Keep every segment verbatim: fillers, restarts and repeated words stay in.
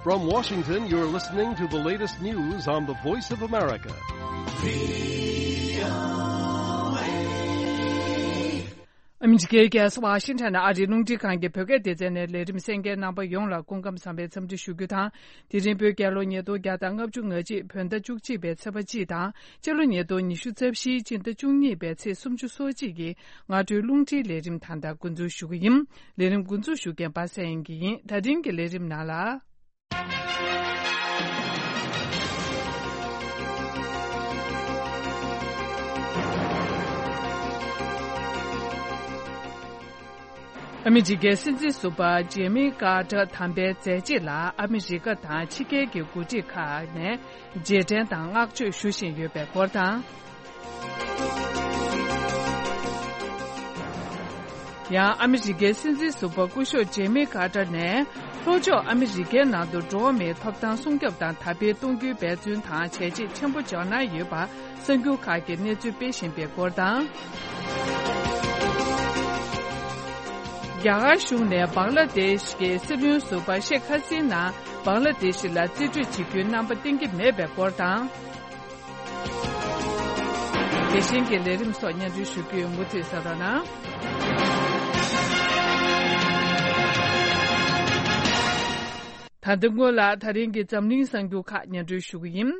From Washington, you're listening to the latest news on the Voice of America. ཨ་མི་རི་ཀའི་རྒྱལ་ས་ཝ་ཤིང་ཊོན་ཨ་རིའི་རླུང་འཕྲིན་ཁང་གི་བོད་སྐད་སྡེ་ཚན་ནས་ལས་རིམ་གསན་མཁན་རྣམ་པ་ཡོངས་ལ་སྐུ་ཁམས་བཟང་བའི་འཚམས་འདྲི་ཞུ་རྒྱུ་དང་། དེ་རིང་བོད་རྒྱལ་ལོ་ཉིས་སྟོང་བརྒྱ་དང་ལྔ་བཅུ་ང་གཅིག་བོད་ཟླ་བཅུ་གཅིག་པའི་ཚེས་པ་གཅིག་དང་། སྤྱི་ལོ་ཉིས་སྟོང་ཉི་ཤུ་རྩ་བཞིའི་སྤྱི་ཟླ་བཅུ་གཉིས་པའི་ཚེས་སུམ་ཅུ་སོ་གཅིག་གི་སྔ་དྲོའི་རླུང་འཕྲིན་ལས་རིམ་ད་ལྟ་འགོ་འཛུགས་ཞུ་གི་ཡིན། ལས་རིམ་འགོ་འཛུགས་ཞུ་མཁན་པ་སངས་དབྱངས་སྐྱིད་ཡིན། ད་རིང་གི་ལས་རིམ་ནང་ལ། ཨ་མི་རི་ཀའི་སྲིད་འཛིན་ཟུར་པ་ཇེ་མི་ཀར་ཏར་དམ་པའི་མཛད་རྗེས་ལ་ཨ་མི་རི་ཀ་དང་ཕྱི་རྒྱལ་གྱི་འགོ་ཁྲིད་ཁག་ནས་རྗེས་དྲན་དང་བསྔགས་བརྗོད་ཞུ་བཞིན་ཡོད་པའི་སྐོར་དང་། ཡང་ཨ་མི་རི་ཀའི་སྲིད་འཛིན་ཟུར་པ་སྐུ་ཞབས་ཇེ་མི་ཀར་ཏར་ནས་ལྷོ་ཕྱོགས་ཨ་མི་རི་ཀའི་ནང་དུ་འགྲོ་བ་མིའི་ཐོབ་ཐང་སྲུང་སྐྱོབ་དང་དར་སྤེལ་གཏོང་རྒྱུའི་འབད་བརྩོན་དང་བྱས་རྗེས་ཆེན་པོ་འཇོག་གནང་ཡོད་པ་གསར་འགྱུར་ཁག་གིས་གནས་ཚུལ་སྤེལ་བཞིན་པའི་སྐོར་དང་། རྒྱ་གར་གཞུང་ནས་བང་ལ་དེཤ་གི་སྲིད་བློན་ཟུར་པ་ཤེག་ཧ་སི་ན་བང་ལ་དེཤ་ལ་རྩིས་སྤྲོད་བྱེད་རྒྱུའི་རྣམ་པ་བསྟན་གྱི་མེད་པའི་སྐོར་དང་། དེ་བཞིན་གྱི་ལས་རིམ་སོགས་སྙན་སྒྲོན་ཞུ་རྒྱུ་ཡིན། མུ་མཐུད་གསན་རོགས་གནང་། ད་ལྟ་སྔོན་ལ་ད་རིང་གི་འཛམ་གླིང་གསར་འགྱུར་ཁག་སྙན་སྒྲོན་ཞུ་གི་ཡིན།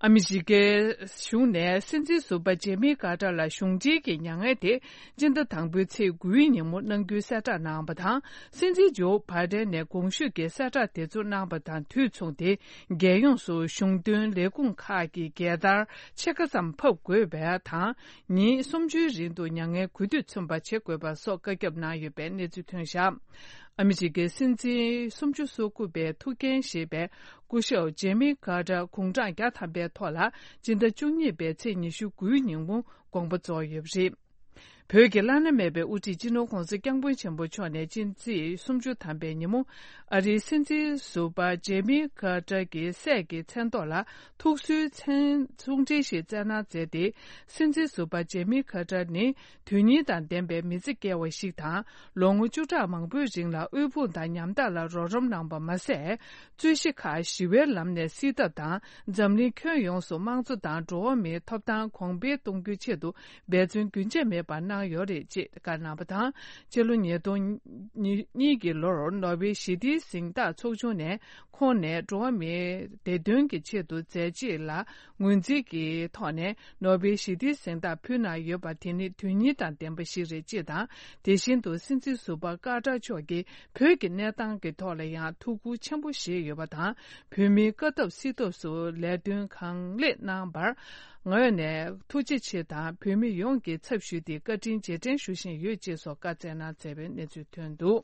ཨ་མི་རི་ཀའི་གཞུང་ནས་སྲིད་འཛིན་ཟུར་པ་ཇེ་མི་ཀར་ཏར་ལ་གཞུང་འབྲེལ་གྱི་མྱ་ངན་དེ་སྤྱི་ཟླ་དང་པོའི་ཚེས་དགུའི་ཉིན་མོ་གནང་རྒྱུའི་གསལ་བསྒྲགས་གནང་བ་དང་། སྲིད་འཛིན་ཇོ་བྷའི་ཏན་ནས་གོང་ཞུས་ཀྱི་གསལ་བསྒྲགས་དེ་ཚོ་གནང་བ་དང་དུས་མཚུངས་ཏེ། རྒྱལ་ཡོངས་སུ་གཞུང་དོན་ལས་ཁུངས་ཁག་གི་རྒྱལ་དར་ཕྱེད་ཀ་ཙམ་ཕབ་དགོས་པ་དང་། ཉིན་སུམ་ཅུའི་རིང་དུ་མྱ་ངན་གུས་འདུད་མཚོན་པ་བྱེད་དགོས་པ་སོགས་བཀའ་ཁྱབ་གནང་ཡོད་པའི་གནས་ཚུལ་ཐོན་བཞག་ཨ་མི་རི་ཀའི་སྲིད་འཛིན་སུམ་ཅུ་སོ་དགུ་པའི་ཐུགས་འགན་བཞེས་པའི་སྐུ་ཞབས་ཇེ་མི་ཀར་ཏར་དགུང་གྲངས་བརྒྱ་ཐམ་པའི་ཐོག་ལ་སྤྱི་ཟླ་བཅུ་གཉིས་པའི་ཚེས་ཉི་ཤུ་དགུའི་ཉིན་མོ་དགོངས་པ་རྫོགས་ཡོད་པ་རེད། བོད་ཀྱི་བླ་ན་མེད་པའི་དབུ་ཁྲིད་སྤྱི་ནོར་༧གོང་ས་༧སྐྱབས་མགོན་ཆེན་པོ་མཆོག་ནས་སྤྱི་ཚེས་སུམ་ཅུ་ཐམ་པའི་ཉིན་མོ་ཨ་རིའི་སྲིད་འཛིན་ཟུར་པ་ཇེ་མི་ཀར་ཏར་གྱི་སྲས་ཀྱི་མཚན་ཐོག་ལ་ཐུགས་གསོའི་མཚན་གསུང་འཕྲིན་ཞིག་བསྩལ་གནང་མཛད་དེ། སྲིད་འཛིན་ཟུར་པ་ཇེ་མི་ཀར་ཏར་ནི། དོན་སྙིང་དང་ལྡན་པའི་མི་ཚེ་བསྐྱལ་བ་ཞིག་དང་། ལོ་ངོ་བཅུ་ཕྲག་མང་པོའི་རིང་ལ་དབུལ་ཕོངས་དང་ཉམ་ཐག་ལ་རོགས་རམ་གནང་པ་མ་ཟད། རྩོད་གཞི་ཁག་ཞི་བའི་ལམ་ནས་སེལ་ཐབས་དང་། འཛམ་གླིང་ཁྱོན་ཡོངས་སུ་དམངས་གཙོ་དང་འགྲོ་བ་མིའི་ཐོབ་ཐང་གོང་འཕེལ་གཏོང་རྒྱུའི་ཆེད་དུ་འབད་བརྩོན་རྒྱུན་ཆད་མེད་པར་གནང་ཡོད་རེད་ཅེས་བཀའ་གནང་བ་དང་། སྤྱི་ལོ་ཉིས་སྟོང་གཉིས་ཀྱི་ལོར་ནོ་བེལ་ཞི་བདེའི་གཟེངས་རྟགས་ཚོགས་ཆུང་ནས། ཁོང་ནས་འགྲོ་བ་མིའི་བདེ་དོན་གྱི་ཆེད་དུ་མཛད་རྗེས་ལ་ངོས་འཛིན་གྱི་ཐོག་ནས་ནོ་བེལ་ཞི་བདེའི་གཟེངས་རྟགས་ཕུལ་གནང་ཡོད་པ་དེ་ནི་དོན་སྙིང་དང་ལྡན་པ་ཞིག་རེད་ཅེས་དང་། དེ་བཞིན་དུ་སྲིད་འཛིན་ཟུར་པ་ཀར་ཏར་མཆོག་གིས་བོད་ཀྱི་གནས་སྟངས་ཀྱི་ཐོག་ལ་ཡང་ཐུགས་ཁུར་ཆེན་པོ་བཞེས་ཡོད་པ་དང་། བོད་མིའི་དཀའ་ཐབས་སེལ་ཐབས་སུ་ལས་དོན་གང་ལེགས་གནང་བར་ངོས་ནས་ཐུགས་རྗེ་ཆེ་དང་། བོད་མི་ཡོངས་ཀྱི་ཚབ་ཞུས་ཏེ་བཀའ་དྲིན་རྗེས་དྲན་ཞུ་བཞིན་ཡོད་ཅེས་སོགས་བཀའ་སྩལ་གནང་མཛད་པའི་གནས་ཚུལ་ཐོན་འདུག་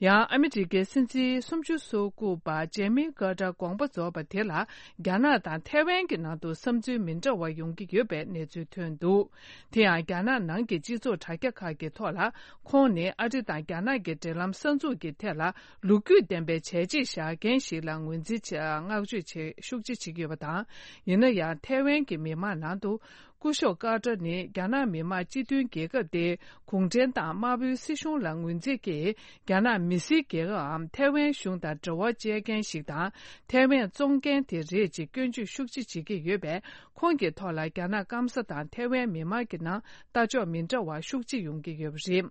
ཡང་ཨ་མི་རི་ཀའི་སྲིད་འཛིན་སུམ་ཅུ་སོ་དགུ་པ་ཇེ་མི་ཀར་ཏར་དགོངས་པ་རྫོགས་པ་དེ་ལ་རྒྱ་ནག་དང་ཐའེ་ཝན་གྱི་ནང་དུ་བསམ་ཚུལ་མི་འདྲ་བ་ཡོང་གི་ཡོད་པའི་གནས་ཚུལ་ཐོན་འདུག་དེ་ཡང་རྒྱ་ནག་ནང་གི་སྤྱི་ཚོགས་དྲ་རྒྱ་ཁག་གི་ཐོག་ལ་ཁོང་ནི་ཨ་རི་དང་རྒྱ་ནག་གི་འབྲེལ་ལམ་གསར་འཛུགས་ཀྱི་ཐད་ལ་ལོ་རྒྱུས་ལྡན་པའི་བྱས་རྗེས་བཞག་མཁན་ཞིག་ལ་ངོས་འཛིན་བྱས་བསྔགས་བརྗོད་བྱེད་ཤུགས་ཆེ་བྱེད་ཀྱི་ཡོད་པ་དང་། ཡིན་ན་ཡང་ཐའེ་ཝན་གྱི་མི་མང་ནང་དུ། སྐུ་ཞབས་ཀར་ཏར་ནི་རྒྱ་ནག་མི་དམངས་སྤྱི་མཐུན་རྒྱལ་ཁབ་སྟེ། གུང་ཁྲན་ཏང་དམར་པོའི་སྲིད་གཞུང་ལ་ངོས་འཛིན་གྱིས། རྒྱ་ནག་མི་སེར་རྒྱལ་ཁབ་འམ་ཐའེ་ཝན་གཞུང་དང་འབྲེལ་བ་བཅད་མཁན་ཞིག་དང་། ཐའེ་ཝན་བཙོང་མཁན་དེ་རེད་ཅེས་སྐྱོན་བརྗོད་ཤུགས་ཆེ་བྱེད་ཀྱི་ཡོད་པས། ཁོང་གི་ཐོག་ལ་རྒྱ་ནག་སྐམ་ས་དང་ཐའེ་ཝན་མི་དམངས་ཀྱི་ནང་ལྟ་ཕྱོགས་མི་འདྲ་བ་ཤུགས་ཆེ་ཡོང་གི་ཡོད་པ་རེད།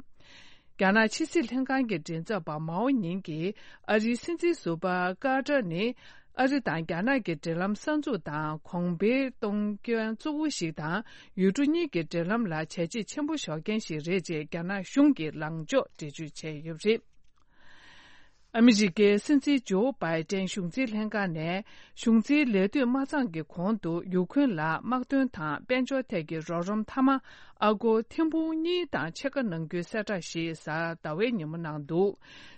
རྒྱ་ནག་ཕྱི་སྲིད་ལྷན་ཁང་གི་མགྲིན་ཚབ་པ་མའོ་ཉིང་གིས་ཨ་རིའི་སྲིད་འཛིན་ཟུར་པ་ཀར་ཏར་ནི། ཨ་རི་དང་རྒྱ་ནག་གི་འབྲེལ་ལམ་གསར་འཛུགས་དང་གོང་འཕེལ་གཏོང་མཁན་གཙོ་བོ་ཞིག་དང་། ཡུལ་གྲུ་གཉིས་ཀྱི་འབྲེལ་ལམ་ལ་བྱས་རྗེས་ཆེན་པོ་འཇོག་མཁན་ཞིག་རེད་ཅེས་རྒྱ་ནག་གཞུང་གིས་ལངས་ཕྱོགས་འགྲེལ་བརྗོད་བྱས་ཡོད་པ་རེད། ཨ་མི་རི་ཀའི་སྲིད་འཛིན་ཇོ་བྷའི་ཏན་གཞུང་འཛིན་ལྷན་ཁང་ནས་གཞུང་འཛིན་ལས་དུས་མ་ཚང་གི་གོང་དུ་ཡུ་ཁུན་ལ་དམག་དོན་དང་དཔལ་འབྱོར་ཐད་ཀྱི་རོགས་རམ་མཐའ་མ། ཨ་སྒོར་ཐེར་འབུམ་གཉིས་དང་ཕྱེད་ཀ་གནང་རྒྱུའི་གསལ་བསྒྲགས་ཤིག་གཟའ་ཟླ་བའི་ཉིན་མོ་གནང་འདུག་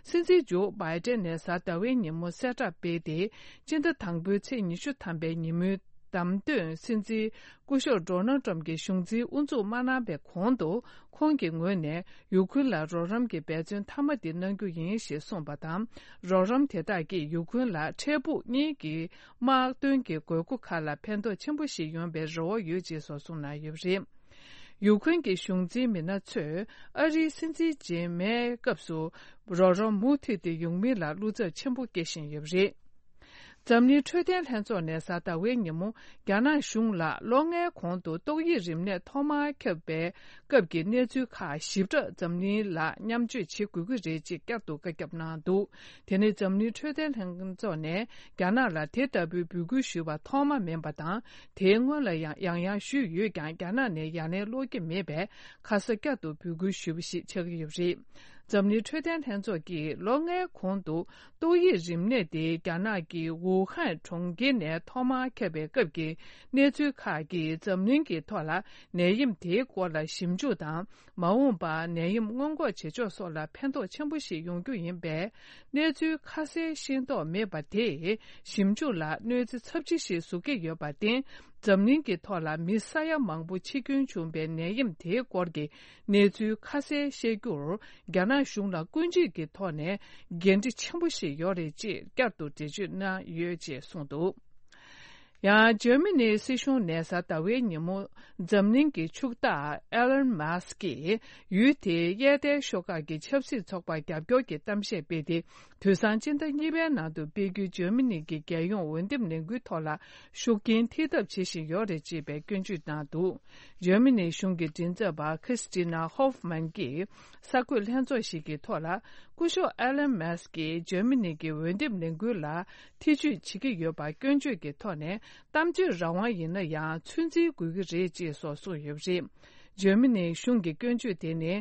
སྲིད་འཛིན་ཇོ་བྷའི་ཏན་ནས་གཟའ་ཟླ་བའི་ཉིན་མོ་གསལ་བསྒྲགས་སྤེལ་ཏེ། སྤྱི་ཟླ་དང་པོའི་ཚེས་ཉི་ཤུ་ཐམ་པའི་ཉིན་མོའི་བདམས་ཐོན་སྲིད་འཛིན་སྐུ་ཞབས་ཌོ་ནལ་ཏྲམ་གྱི་གཞུང་འཛིན་དབུ་འཛུགས་མ་གནང་བའི་གོང་དུ། ཁོང་གི་ངོས་ནས་ཡུ་ཁུན་ལ་རོགས་རམ་གྱི་འབད་བརྩོན་མཐའ་མ་འདི་གནང་རྒྱུ་ཡིན་ཞེས་གསུངས་པ་དང་། རོགས་རམ་དེ་དག་གིས་ཡུ་ཁུན་ལ་འཕྲལ་ཕུགས་གཉིས་ཀྱི་དམག་དོན་གྱི་དགོས་མཁོ་ཁག་ལ་ཕན་ཐོགས་ཆེན་པོ་ཞིག་ཡོང་བའི་རེ་བ་ཡོད་ཅེས་སོགས་གསུངས་གནང་ཡོད་པ་རེད། ཡུ་ཁུན་གྱི་གཞུང་འཛིན་མི་སྣ་ཚོས་ཨ་རིའི་སྲིད་འཛིན་རྗེས་མའི་སྐབས་སུ་རོགས་རམ་མུ་མཐུད་དེ་ཡོང་མིན་ལ་བློ་འཚབ་ཆེན་པོ་སྐྱེ་བཞིན་ཡོད་པ་རེད། འཛམ་གླིང་འཕྲོད་བསྟེན་ལྷན་ཚོགས་ནས་གཟའ་ཟླ་བའི་ཉིན་མོ། རྒྱ་ནག་གཞུང་ལ་ལོ་ལྔའི་གོང་དུ་ཏོག་དབྱིབས་རིམས་ནད་ཐོག་མར་ཁྱབ་པའི་སྐབས་ཀྱི་གནས་ཚུལ་ཁག་ཞིབ་ཕྲ་འཛམ་གླིང་ལ་མཉམ་སྤྱོད་བྱེད་དགོས་ཀྱི་རེད་ཅེས་བསྐྱར་དུ་བཀའ་ཁྱབ་གནང་འདུག་དེ་ནི་འཛམ་གླིང་འཕྲོད་བསྟེན་ལྷན་ཚོགས་ནས་རྒྱ་ནག་ལ་དེ་ལྟ་བུའི་འབོད་སྐུལ་ཞུས་པ་ཐོག་མ་མིན་པ་དང་། དེའི་སྔོན་ལ་ཡང་ཡང་ཡང་ཞུས་ཡོད་ཀྱང་། རྒྱ་ནག་ནས་ཡ་ལན་སློག་གི་མེད་པས། ཁ་ས་བསྐྱར་དུ་འབོད་སྐུལ་ཞུས་པ་ཞིག་ཆགས་ཀྱི་ཡོད་པ་རེད། འཛམ་གླིང་འཕྲོད་བསྟེན་ལྷན་ཚོགས་ཀྱིས་ལོ་ལྔའི་གོང་དུ་ཏོག་དབྱིབས་རིམས་ནད་དེ་རྒྱ་ནག་གི་ཝུ་ཧན་གྲོང་ཁྱེར་ནས་ཐོག་མར་ཁྱབ་པའི་སྐབས་ཀྱི་གནས་ཚུལ་ཁག་གིས་འཛམ་གླིང་གི་ཐོག་ལ་ནད་ཡམས་དེའི་སྐོར་ལ་ཞིབ་འཇུག་དང་། མ་འོངས་པར་ནད་ཡམས་སྔོན་འགོག་བྱེད་ཕྱོགས་སོགས་ལ་ཕན་ཐོགས་ཆེན་པོ་ཞིག་ཡོང་རྒྱུ་ཡིན་པས། གནས་ཚུལ་ཁ་གསལ་ཤེས་རྟོགས་མེད་པ་དེས་ཞིབ་འཇུག་ལ་གནོད་འཚེ་ཚབས་ཆེ་ཞིག་བཟོ་གི་ཡོད་པར་བརྟེན། འཛམ་གླིང་གི་ཐོག་ལ་མི་ས་ཡ་མང་པོ་འཆི་སྐྱོན་བྱུང་བའི་ནད་ཡམས་དེའི་སྐོར་གྱི་གནས་ཚུལ་ཁ་གསལ་བཤད་རྒྱུར། རྒྱ་ནག་གཞུང་ལ་ཀུན་སྤྱོད་ཀྱི་ཐོག་ནས་འགན་འཁྲི་ཆེན་པོ་ཞིག་ཡོད་རེད་ཅེས་བསྐྱར་དུ་འགྲེལ་བརྗོད་གནང་ཡོད་ཅེས་གསུངས་འདུག་ཡང་འཇར་མ་ནིའི་སྲིད་གཞུང་ནས་གཟའ་ཟླ་བའི་ཉིན་མོ། འཛམ་གླིང་གི་ཕྱུག་བདག་ཨེ་ལན་མཱ་སི་ཀྱིས་ཡུལ་དེའི་གཡས་ཐལ་ཤོག་ཁག་གི་ཆབ་སྲིད་ཚོགས་པར་རྒྱབ་སྐྱོར་གྱི་གཏམ་བཤད་སྤེལ་ཏེ། དུས་སང་སྤྱི་ཟླ་གཉིས་པའི་ནང་དུ་སྤེལ་རྒྱུའི་འཇར་མ་ནི་གི་རྒྱལ་ཡོངས་འོས་འདེམས་ལས་འགུལ་ཐོག་ལ་ཤུགས་རྐྱེན་ཐེབས་ཐབས་བྱེད་བཞིན་ཡོད་རེད་ཅེས་པའི་སྐྱོན་བརྗོད་གནང་འདུག་འཇར་མ་ནིའི་གཞུང་གི་མགྲིན་ཚབ་པ་ཁྲིས་ཏི་ན་ཧོབ་མན་གྱིས་གསར་འགོད་ལྷན་ཚོགས་ཤིག་གི་ཐོག་ལ། སྐུ་ཞབས་ཨེ་ལན་མཱ་སི་ཀྱིས་འཇར་མ་ནི་གི་འོས་འདེམས་ལས་འགུལ་ལ་ཐེ་བྱུས་བྱེད་ཀྱི་ཡོད་པར་སྐྱོན་བརྗོད་ཀྱི་ཐོག་ནས། གཏམ་བརྗོད་རང་དབང་ཡིན་ན་ཡང་ཚོད་འཛིན་དགོས་ཀྱི་རེད་ཅེས་སོགས་གསུངས་ཡོད་པ་རེད། འཇར་མ་ནིའི་གཞུང་གི་སྐྱོན་བརྗོད་དེ་ནི།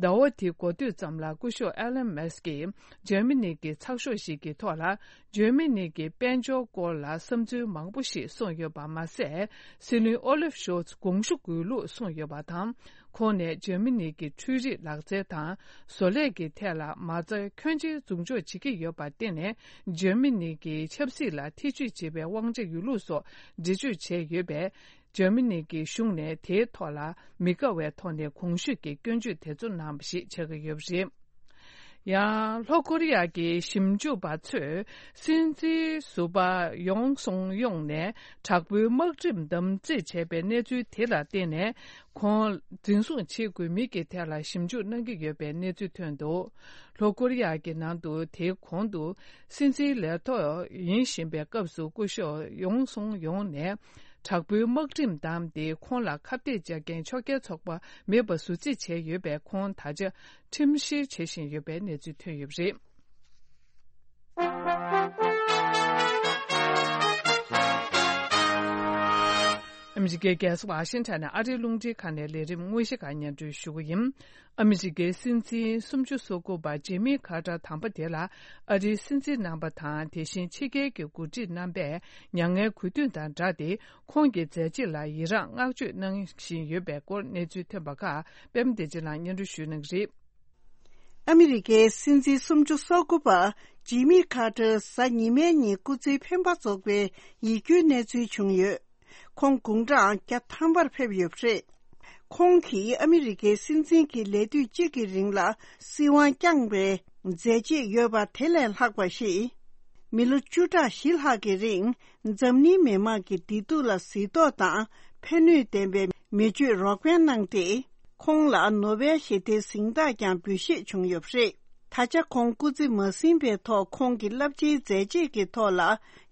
ཟླ་བ་འདིའི་འགོ་སྟོད་ཙམ་ལ་སྐུ་ཞབས་ཨེ་ལན་མཱ་སི་ཀྱིས་འཇར་མ་ནི་གི་ཚགས་ཤོག་ཞིག་གི་ཐོག་ལ། འཇར་མ་ནི་གི་དཔལ་འབྱོར་སྐོར་ལ་བསམ་ཚུལ་མང་པོ་ཞིག་གསུངས་ཡོད་པ་མ་ཟད། སྲིད་བློན་ཨོ་ལིབ་ཤོལ་ཚ་དགོངས་ཞུ་དགོས་ལུགས་གསུངས་ཡོད་པ་དང་། ཁོང་ནས་འཇར་མ་ནི་གི་འཕྲུལ་རིག་ལག་རྩལ་དང་བཟོ་ལས་ཀྱི་ཐད་ལ་མ་རྩ་ཁྱོན་ཆེ་འཛུགས་འཇོག་བྱེད་ཀྱི་ཡོད་པར་བརྟེན་ནས། འཇར་མ་ནི་གི་ཆབ་སྲིད་ལ་ཐེ་བྱུས་བྱེད་པའི་དབང་ཆ་ཡོད་ལུགས་སོགས་འགྲེལ་བརྗོད་བྱས་ཡོད་པས། འཇར་མ་ནི་གི་གཞུང་ནས་དེའི་ཐོག་ལ་མི་དགའ་བའི་ཐོག་ནས་གོང་ཞུས་ཀྱི་སྐྱོན་བརྗོད་དེ་ཚོ་གནང་བ་ཞིག་ཆགས་ཀྱི་ཡོད་པ་རེད། ཡང་ལྷོ་ཀོ་རི་ཡ་གི་ཞིབ་འཇུག་པ་ཚོས་སྲིད་འཛིན་ཟུར་པ་ཡོང་སུང་ཡོང་ནས་དྲག་པོའི་དམག་ཁྲིམས་དམ་བརྩེགས་བྱས་པའི་གནས་ཚུལ་དེ་ལ་བརྟེན་ནས། ཁོང་འཛིན་བཟུང་བྱེད་དགོས་མིན་གྱི་ཐད་ལ་ཞིབ་འཇུག་གནང་གི་ཡོད་པའི་གནས་ཚུལ་ཐོན་འདུག་ལྷོ་ཀོ་རི་ཡ་གི་ནང་དུ་དེའི་གོང་དུ་སྲིད་འཛིན་ལས་ཐོག་ཡིན་བཞིན་པའི་སྐབས་སུ་སྐུ་ཞབས་ཡོང་སུང་ཡོང་ནས་དྲག་པོའི་དམག་ཁྲིམས་བསྡམས་ཏེ། ཁོང་ལ་ཁ་གཏད་བཅག་མཁན་ཕྱོགས་འགལ་ཚོགས་པ་མེད་པ་ཟུར་རྩིས་བྱས་ཡོད་པས། ཁོང་ད་ཆ་ཁྲིམས་བཤེར་བྱེད་བཞིན་ཡོད་པའི་གནས་ཚུལ་ཐོན་ཡོད་པ་རེད། ཨ་མི་རི་ཀའི་རྒྱལ་ས་ཝ་ཤིང་ཊོན་ནས་ཨ་རིའི་རླུང་འཕྲིན་ཁང་ནས་ལས་རིམ་དངོས་གཞི་ཁག་སྙན་སྒྲོན་ཞུ་གི་ཡིན། ཨ་མི་རི་ཀའི་སྲིད་འཛིན་སུམ་ཅུ་སོ་དགུ་པ་ཇི་མི་ཁ་ཏར་དམ་པ་དེ་ལ་ཨ་རིའི་སྲིད་འཛིན་རྣམ་པ་དང་། དེ་བཞིན་ཕྱི་རྒྱལ་གྱི་འགོ་ཁྲིད་རྣམ་པས་མྱ་ངན་གུས་འདུད་དང་སྦྲགས་ཏེ། ཁོང་གི་མཛད་རྗེས་ལ་ཡི་རངས་བསྔགས་བརྗོད་གནང་བཞིན་ཡོད་པའི་སྐོར་གནས་ཚུལ་ཐོན་པ་ཁག་པད་མ་བདེ་ཆེན་ལགས་སྙན་སྒྲོན་ཞུ་གནང་གི་རེད། ཨ་མི་རི་ཀའི་སྲིད་འཛིན་སུམ་ཅུ་སོ་དགུ་པ་ཇི་མི་ཁ་ཏར་གཟའ་ཉི་མའི་ཉིན་སྐུ་ཚེའི་འཕེན་པ་རྫོགས་པའི་ཡིད་སྐྱོའི་གནས་ཚུལ་བྱུང་ཡོད། ཁོང་དགུང་གྲངས་བརྒྱ་ཐམ་པར་ཕེབས་ཡོད་པ་རེད། ཁོང་གིས་ཨ་མི་རི་ཀའི་སྲིད་འཛིན་གྱི་ལས་དུས་གཅིག་གི་རིང་ལ་སྲིད་དབང་བསྐྱངས་པའི་མཛད་རྗེས་ཡོད་པ་དེ་ལས་ལྷག་པ་ཞིག་མི་ལོ་བཅུ་ཕྲག་བཞི་ལྷག་གི་རིང་འཛམ་གླིང་མི་དམངས་ཀྱི་བདེ་སྡུག་ལ་གཟིགས་རྟོག་དང་ཕན་ནུས་ལྡན་པའི་མི་སྤྱོད་རོགས་ཕན་གནང་སྟེ། ཁོང་ལ་ནོ་བེལ་ཞི་བདེའི་གཟེངས་རྟགས་ཀྱང་འབུལ་བཞེས་བྱུང་ཡོད་པ་རེད། ད་ཆ་ཁོང་སྐུ་ཚེ་མ་ཟིན་པའི་ཐོག་ཁོང་གི་རླབས་ཆེའི་མཛད་རྗེས་ཀྱི་ཐོག་ལ་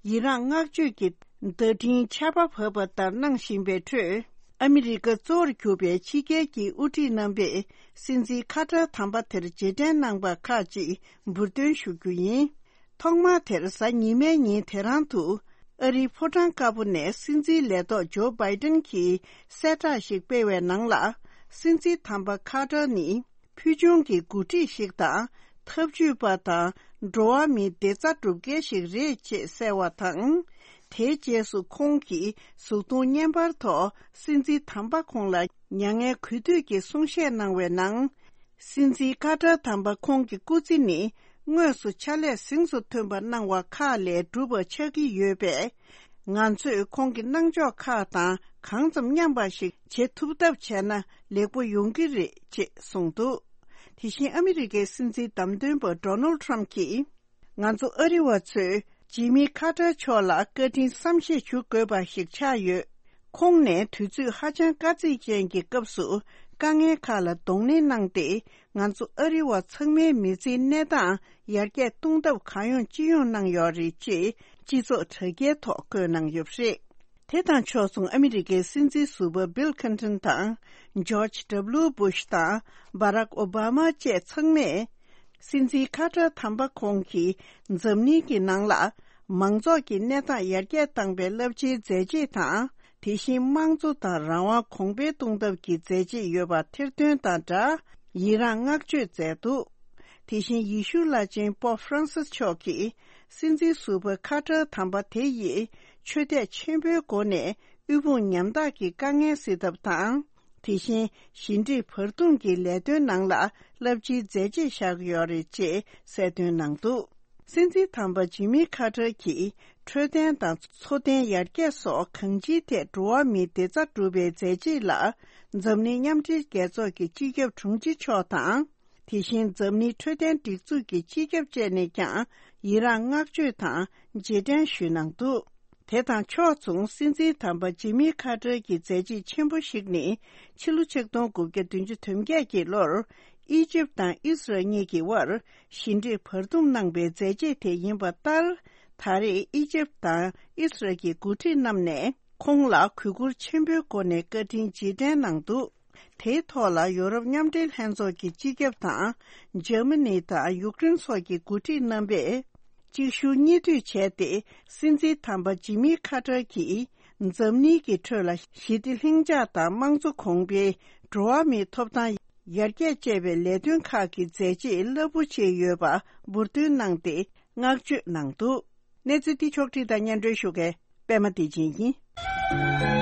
ཡི་རངས་བསྔགས་བརྗོད་ཀྱི་བརྡ་འཕྲིན་ཆར་པ་བབས་པ་ལྟར་གནང་བཞིན་པའི་ཁྲོད། ཨ་མི་རི་ཀ་གཙོ་བོར་གྱུར་པའི་ཕྱི་རྒྱལ་གྱི་དབུ་ཁྲིད་རྣམ་པས་སྲིད་འཛིན་ཁ་ཏར་དམ་པ་དེར་རྗེས་དྲན་གནང་པ་ཁག་ཅིག་འབུར་འདོན་ཞུ་རྒྱུ་ཡིན། ཐོག་མ་དེར་གཟའ་ཉི་མའི་ཉིན་དེ་རང་དུ་ཨ་རིའི་ཕོ་བྲང་དཀར་པོ་ནས་སྲིད་འཛིན་ལས་ཐོག་ཇོ་བྷའི་ཏན་གྱིས་གསལ་བསྒྲགས་ཤིག་སྤེལ་བའི་ནང་ལ། སྲིད་འཛིན་དམ་པ་ཁ་ཏར་ནི་ཕུལ་བྱུང་གི་འགོ་ཁྲིད་ཞིག་དང་། འཐབ་ཇུས་པ་དང་འགྲོ་བ་མིའི་བདེ་རྩ་སྒྲུབ་མཁན་ཞིག་རེད་ཅེས་གསལ་བ་དང་། དེའི་རྗེས་སུ་ཁོང་གིས་གཟུགས་མཐོང་བརྙན་པར་ཐོག་སྲིད་འཛིན་དམ་པ་ཁོང་ལ་མྱ་ངན་གུས་འདུད་ཀྱི་གསུང་བཤད་གནང་བའི་ནང་། སྲིད་འཛིན་ཁ་ཏར་དམ་པ་ཁོང་གི་སྐུ་ཚེ་ནི་དངོས་སུ་ཕྱག་ལས་གཟེངས་སུ་ཐོན་པ་གནང་བ་ཁག་ལས་གྲུབ་པ་ཆགས་ཀྱི་ཡོད་པས། ང་ཚོས་ཁོང་གི་གནང་ཕྱོགས་ཁག་དང་གང་ཙམ་མཉམ་པ་ཞིག་བྱེད་ཐུབ་ཐབས་བྱས་ན་ལེགས་པོ་ཡོང་གི་རེད་ཅེས་གསུངས་འདུག་དེ་བཞིན་ཨ་མི་རི་ཀའི་སྲིད་འཛིན་བདམས་ཐོན་པ་ཌོ་ནལ་ཊམ་གྱིས། ང་ཚོ་ཨ་རི་བ་ཚོས་ཇི་མི་ཁ་ཏར་མཆོག་ལ་བཀའ་དྲིན་བསམ་ཤེས་ཞུ་དགོས་པ་ཞིག་ཆགས་ཡོད། ཁོང་ནས་དུས་ཚོད་ཧ་ཅང་དཀའ་ཚེགས་ཅན་གྱི་སྐབས་སུ་ དཀའ་ངལ་ཁག་ལ་གདོང་ལེན་གནང་སྟེ། ང་ཚོ་ཨ་རི་བ་ཚང་མའི་མི་ཚེའི་གནས་སྟངས་ཡར་རྒྱས་གཏོང་ཐབས་གང་ཡོང་ཅི་ཡོང་གནང་ཡོད་རེད་ཅེས་སྤྱི་ཚོགས་དྲ་རྒྱའི་ཐོག་བཀོད་གནང་ཡོད་པ་རེད། དེ་དང་ཕྱོགས་མཚུངས། ཨ་མི་རི་ཀའི་སྲིད་འཛིན་ཟུར་པ་བྷིལ་ཁིན་ཏོན་དང་ཇོརྗ་ཌབ་ལིའུ་བྷུཤ་དང་བྷ་རག་ཨོ་བྷ་མ་བཅས་ཚང་མས། སྲིད་འཛིན་ཁ་ཏར་དམ་པ་ཁོང་གིས་འཛམ་གླིང་གི་ནང་ལ་མང་ཚོགས་ཀྱི་གནས་སྟངས་ཡར་རྒྱས་བཏང་པའི་རླབས་ཆེའི་མཛད་རྗེས་དང་། དེ་བཞིན་དམངས་གཙོ་དང་རང་དབང་གོང་འཕེལ་གཏོང་ཐབས་ཀྱི་མཛད་རྗེས་ཡོད་པ་ཐེར་འདོན་དང་སྦྲགས། ཡི་རངས་བསྔགས་བརྗོད་མཛད་འདུག་དེ་བཞིན་ཡེ་ཤུ་བླ་ཆེན་པོབ་ཧྥ་རན་སིས་མཆོག་གིས་སྲིད་འཛིན་ཟུར་པ་ཁ་ཏར་དམ་པ་དེ་ཡིས་ཆོས་དད་ཆེན་པོའི་སྒོ་ནས་དབུལ་ཕོངས་ཉམ་ཐག་གི་དཀའ་ངལ་སེལ་ཐབས་དང་། དེ་བཞིན་ཞི་འགྲིག་བར་འདུམ་གྱི་ལས་དོན་ནང་ལ་རླབས་ཆེའི་མཛད་རྗེས་བཞག་ཡོད་རེད་ཅེས་གསལ་སྟོན་གནང་འདུག་སྲིད་འཛིན་དམ་པ་ཇི་མི་ཁ་ཏར་གྱིས་འཕྲོད་བསྟེན་དང་འཚོ་རྟེན་ཡར་རྒྱས་སོགས་གང་ཅིའི་ཐད་འགྲོ་བ་མིའི་བདེ་རྩ་སྒྲུབ་པའི་མཛད་རྗེས་ལ། འཛམ་གླིང་མཉམ་འབྲེལ་རྒྱལ་ཚོགས་ཀྱི་སྤྱི་ཁྱབ་དྲུང་ཆེ་མཆོག་དང་། དེ་བཞིན་འཛམ་གླིང་འཕྲོད་བསྟེན་སྒྲིག་འཛུགས་ཀྱི་སྤྱི་ཁྱབ་བཅས་ནས་ཀྱང་ཡི་རངས་བསྔགས་བརྗོད་དང་རྗེས་དྲན་ཞུས་གནང་འདུག་དེ་དང་ཕྱོགས་མཚུངས། སྲིད་འཛིན་དམ་པ་ཇི་མི་ཁ་ཏར་གྱི་མཛད་རྗེས་ཆེན་པོ་ཞིག་ནི། ཕྱི་ལོ་ཆིག་སྟོང་དགུ་བརྒྱ་བདུན་ཅུ་དོན་བརྒྱད་ཀྱི་ལོར། ཨི་ཇིབ་དང་ཨིས་རལ་གཉིས་ཀྱི་དབར་ཞི་འགྲིག་བར་འདུམ་གནང་པའི་མཛད་རྗེས་དེ་ཡིན་པ་ལྟར། ད་རེས་ཨི་ཇིབ་དང་ཨིས་རལ་གྱི་འགོ་ཁྲིད་རྣམས་ནས་ཁོང་ལ་གུས་བཀུར་ཆེན་པོའི་སྒོ་ནས་བཀའ་དྲིན་རྗེས་དྲན་གནང་འདུག་དེའི་ཐོག་ལ་ཡོ་རོབ་མཉམ་འབྲེལ་ལྷན་ཚོགས་ཀྱི་སྤྱི་ཁྱབ་དང་། འཇར་མ་ནི་དང་ཡུཀ་རེན་སོགས་ཀྱི་འགོ་ཁྲིད་རྣམ་པས་གཅིག་ཞུ་གཉིས་མཐུད་བྱས་ཏེ། སྲིད་འཛིན་དམ་པ་ཇི་མི་ཁ་ཏར་གྱིས་འཛམ་གླིང་གི་ཁྲོད་ལ་ཞི་བདེ་ལྷིང་འཇགས་དང་དམངས་གཙོ་གོང་འཕེལ། འགྲོ་བ་མིའི་ཐོབ་ཐང་ཡར་རྒྱས་བཅས་པའི་ལས་དོན་ཁག་གི་མཛད་རྗེས་རླབས་པོ་ཆེ་ཡོད་པ་འབུར་འདོན་གནང་སྟེ་བསྔགས་བརྗོད་གནང་འདུག་གནས་ཚུལ་འདི་ཕྱོགས་བསྒྲིགས་དང་སྙན་སྒྲོན་ཞུ་མཁན་པད་མ་བདེ་ཆེན་ཡིན།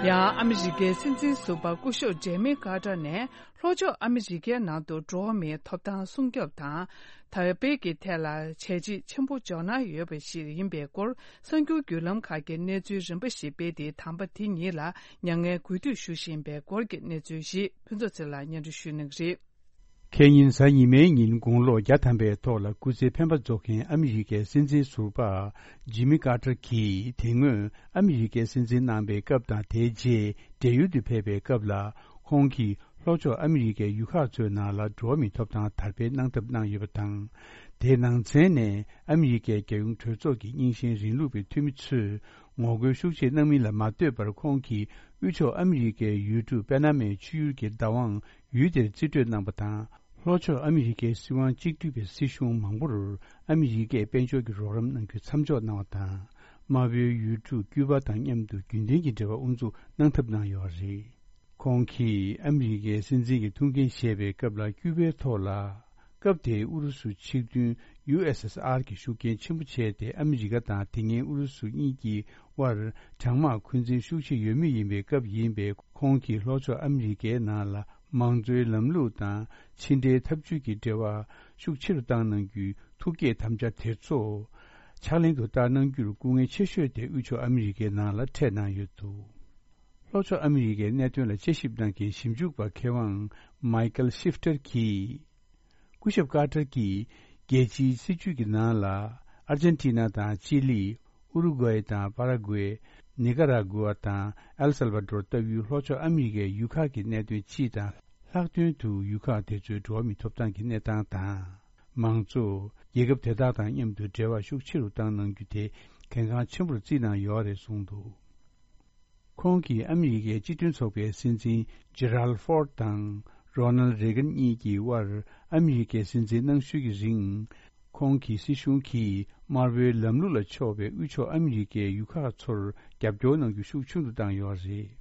ཡང་ཨ་མི་རི་ཀའི་སྲིད་འཛིན་ཟུར་པ་སྐུ་ཞབས་ཇེ་མི་ཀར་ཏར་ནས། ལྷོ་ཕྱོགས་ཨ་མི་རི་ཀའི་ནང་དུ་འགྲོ་བ་མིའི་ཐོབ་ཐང་སྲུང་སྐྱོབ་དང་། དར་སྤེལ་གྱི་ཐད་ལ་བྱས་རྗེས་ཆེན་པོ་འཇོག་གནང་ཡོད་པ་ཞིག་ཡིན་པའི་སྐོར། གསར་འགྱུར་བརྒྱུད་ལམ་ཁག་གིས་གནས་ཚུལ་རིམ་པ་ཞིག་སྤེལ་ཏེ། དམ་པ་དེ་ཉིད་ལ་མྱ་ངན་གུས་འདུད་ཞུ་བཞིན་པའི་སྐོར་གྱི་གནས་ཚུལ་ཞིག་ཕུན་ཚོགས་ཚེ་ལགས་སྙན་སྒྲོན་ཞུ་གནང་གི་རེད། ཁེ་ཉིན་གཟའ་ཉི་མའི་ཉིན་དགུང་ལོ་བརྒྱ་ཐམ་པའི་ཐོག་ལ་སྐུ་ཚེ་འཕེན་པ་རྫོགས་མཁན་ཨ་མི་རི་ཀའི་སྲིད་འཛིན་ཟུར་པ་ཇི་མི་ཀར་ཏར་གྱིས། དེ་སྔོན་ཨ་མི་རི་ཀའི་སྲིད་འཛིན་གནང་པའི་སྐབས་དང་། དེའི་རྗེས་བགྲེས་ཡོལ་དུ་ཕེབས་པའི་སྐབས་ལ། ཁོང་གིས་ལྷོ་ཕྱོགས་ཨ་མི་རི་ཀའི་ཡུལ་ཁག་ཚོའི་ནང་ལ་འགྲོ་བ་མིའི་ཐོབ་ཐང་དར་སྤེལ་གནང་ཐབས་གནང་ཡོད་པ་དང་། དེའི་ནང་ཚན་ནས་ཨ་མི་རི་ཀའི་རྒྱལ་ཡོངས་གྲོས་ཚོགས་ཀྱི་རྙིང་ཞེན་རིང་ལུགས་པའི་འཐུས་མི་ཚོས་ངོ་རྒོལ་ཤུགས་ཆེ་གནང་མིན་ལ་མ་ལྟོས་པར། ཁོང་གིས་དབུས་ཕྱོགས་ཨ་མི་རི་ཀའི་ཡུལ་གྲུ་པེ་ན་མའི་ཆུ་ཡུལ་གྱི་བདག་དབང་ཡུལ་དེར་རྩིས་སྤྲོད་གནང་པ་དང་། ལྷོ་ཕྱོགས་ཨ་མི་རི་ཀའི་སྲིད་དབང་གཅིག་སྡུད་པའི་སྲིད་གཞུང་མང་པོར་ཨ་མི་རི་ཀས་དཔལ་འབྱོར་གྱི་རོགས་རམ་གནང་རྒྱུ་མཚམས་འཇོག་གནང་བ་དང་། དམར་པོའི་ཡུལ་གྲུ་ཀྱུ་པ་དང་མཉམ་དུ་རྒྱུན་ལྡན་གྱི་འབྲེལ་བ་དབུ་འཛུགས་གནང་ཐབས་གནང་ཡོད་པ་རེད། ཁོང་གིས་ཨ་མི་རི་ཀའི་སྲིད་འཛིན་གྱི་ཐུགས་འགན་བཞེས་པའི་སྐབས་ལ། ཀྱུ་པའི་ཐོག་ལ། སྐབས་དེའི་ཨུ་རུ་སུ་ཆིག་མཐུན་ཡུ་ཨེས་ཨེས་ཨར་གྱི་ཤུགས་རྐྱེན་ཆེན་པོ་བྱས་ཏེ། ཨ་མི་རི་ཀ་དང་དེ་སྔའི་ཨུ་རུ་སུ་གཉིས་ཀྱི་དབར་གྲང་དམག་འཁོན་འཛིན་ཤུགས་ཆེ་ཡོད་མུས་ཡིན་པའི་སྐབས་ཡིན་པས། ཁོང་གིས་ལྷོ་ཕྱོགས་ཨ་མི་རི་ཀའི་ནང་ལ་མང་གཙོའི་ལམ་ལུགས་དང་ཕྱི་འབྲེལ་འཐབ་ཇུས་ཀྱི་འབྲེལ་བ་ཤུགས་ཆེ་རུ་བཏང་གནང་རྒྱུའི་ཐུགས་བསྐྱེད་དམ་བཅའ་དེ་ཚོ་ཕྱག་ལེན་དུ་བསྟར་གནང་རྒྱུར་སྐུ་ངལ་ཆེ་ཤོས་དེ་དབུས་ཕྱོགས་ཨ་མི་རི་ཀའི་ནང་ལ་འཕྲད་གནང་ཡོད་འདུག་ལྷོ་ཕྱོགས་ཨ་མི་རི་ཀའི་གནད་དོན་ལ་དཔྱད་ཞིབ་གནང་མཁན་ཞིབ་འཇུག་པ་མཁས་དབང་མའི་ཀལ་ཤིབ་ཏར་གྱིས། སྐུ་ཞབས་ཀར་ཏར་གྱིས་རྒྱལ་སྤྱིའི་སྲིད་བྱུས་ཀྱི་ནང་ལ། ཨར་ཇན་ཊི་ན་དང་ཅི་ལི། ཨུ་རུ་གུའེ་དང་པ་ར་གུའེ། ནི་ཀ་ར་གུ་ཨ་དང་ཨེལ་སལ་བ་ཌོར་ལྟ་བུའི་ལྷོ་ཕྱོགས་ཨ་མི་རི་ཀའི་ཡུལ་ཁག་གི་གནད་དོན་སྤྱི་དང་། ལྷག་དོན་དུ་ཡུལ་ཁག་དེ་ཚོའི་འགྲོ་བ་མིའི་ཐོབ་ཐང་གི་གནས་སྟངས་དང་། མང་གཙོ། རྒྱལ་ཁབ་དེ་དག་དང་མཉམ་དུ་འབྲེལ་བ་ཤུགས་ཆེ་རུ་བཏང་གནང་རྒྱུ་དེ་གལ་འགངས་ཆེན་པོར་བརྩིས་གནང་ཡོད་རེད་གསུངས་འདུག་ཁོང་གིས་ཨ་མི་རི་ཀའི་སྤྱི་མཐུན་ཚོགས་པའི་སྲིད་འཛིན་ཇེ་རལ་ཧྥོར་དང་རོ་ནལ་རེ་གན་གཉིས་ཀྱི་དབར་ཨ་མི་རི་ཀའི་སྲིད་འཛིན་གནང་ཤུལ་གྱི་རིང་། ཁོང་གི་སྲིད་གཞུང་གིས་དམར་པོའི་ལམ་ལུགས་ལ་ཕྱོགས་པའི་དབུས་ཕྱོགས་ཨ་མི་རི་ཀའི་ཡུལ་ཁག་ཚོར་རྒྱབ་སྐྱོར་གནང་རྒྱུ་ཤུགས་ཆུང་དུ་བཏང་ཡོད་རེད།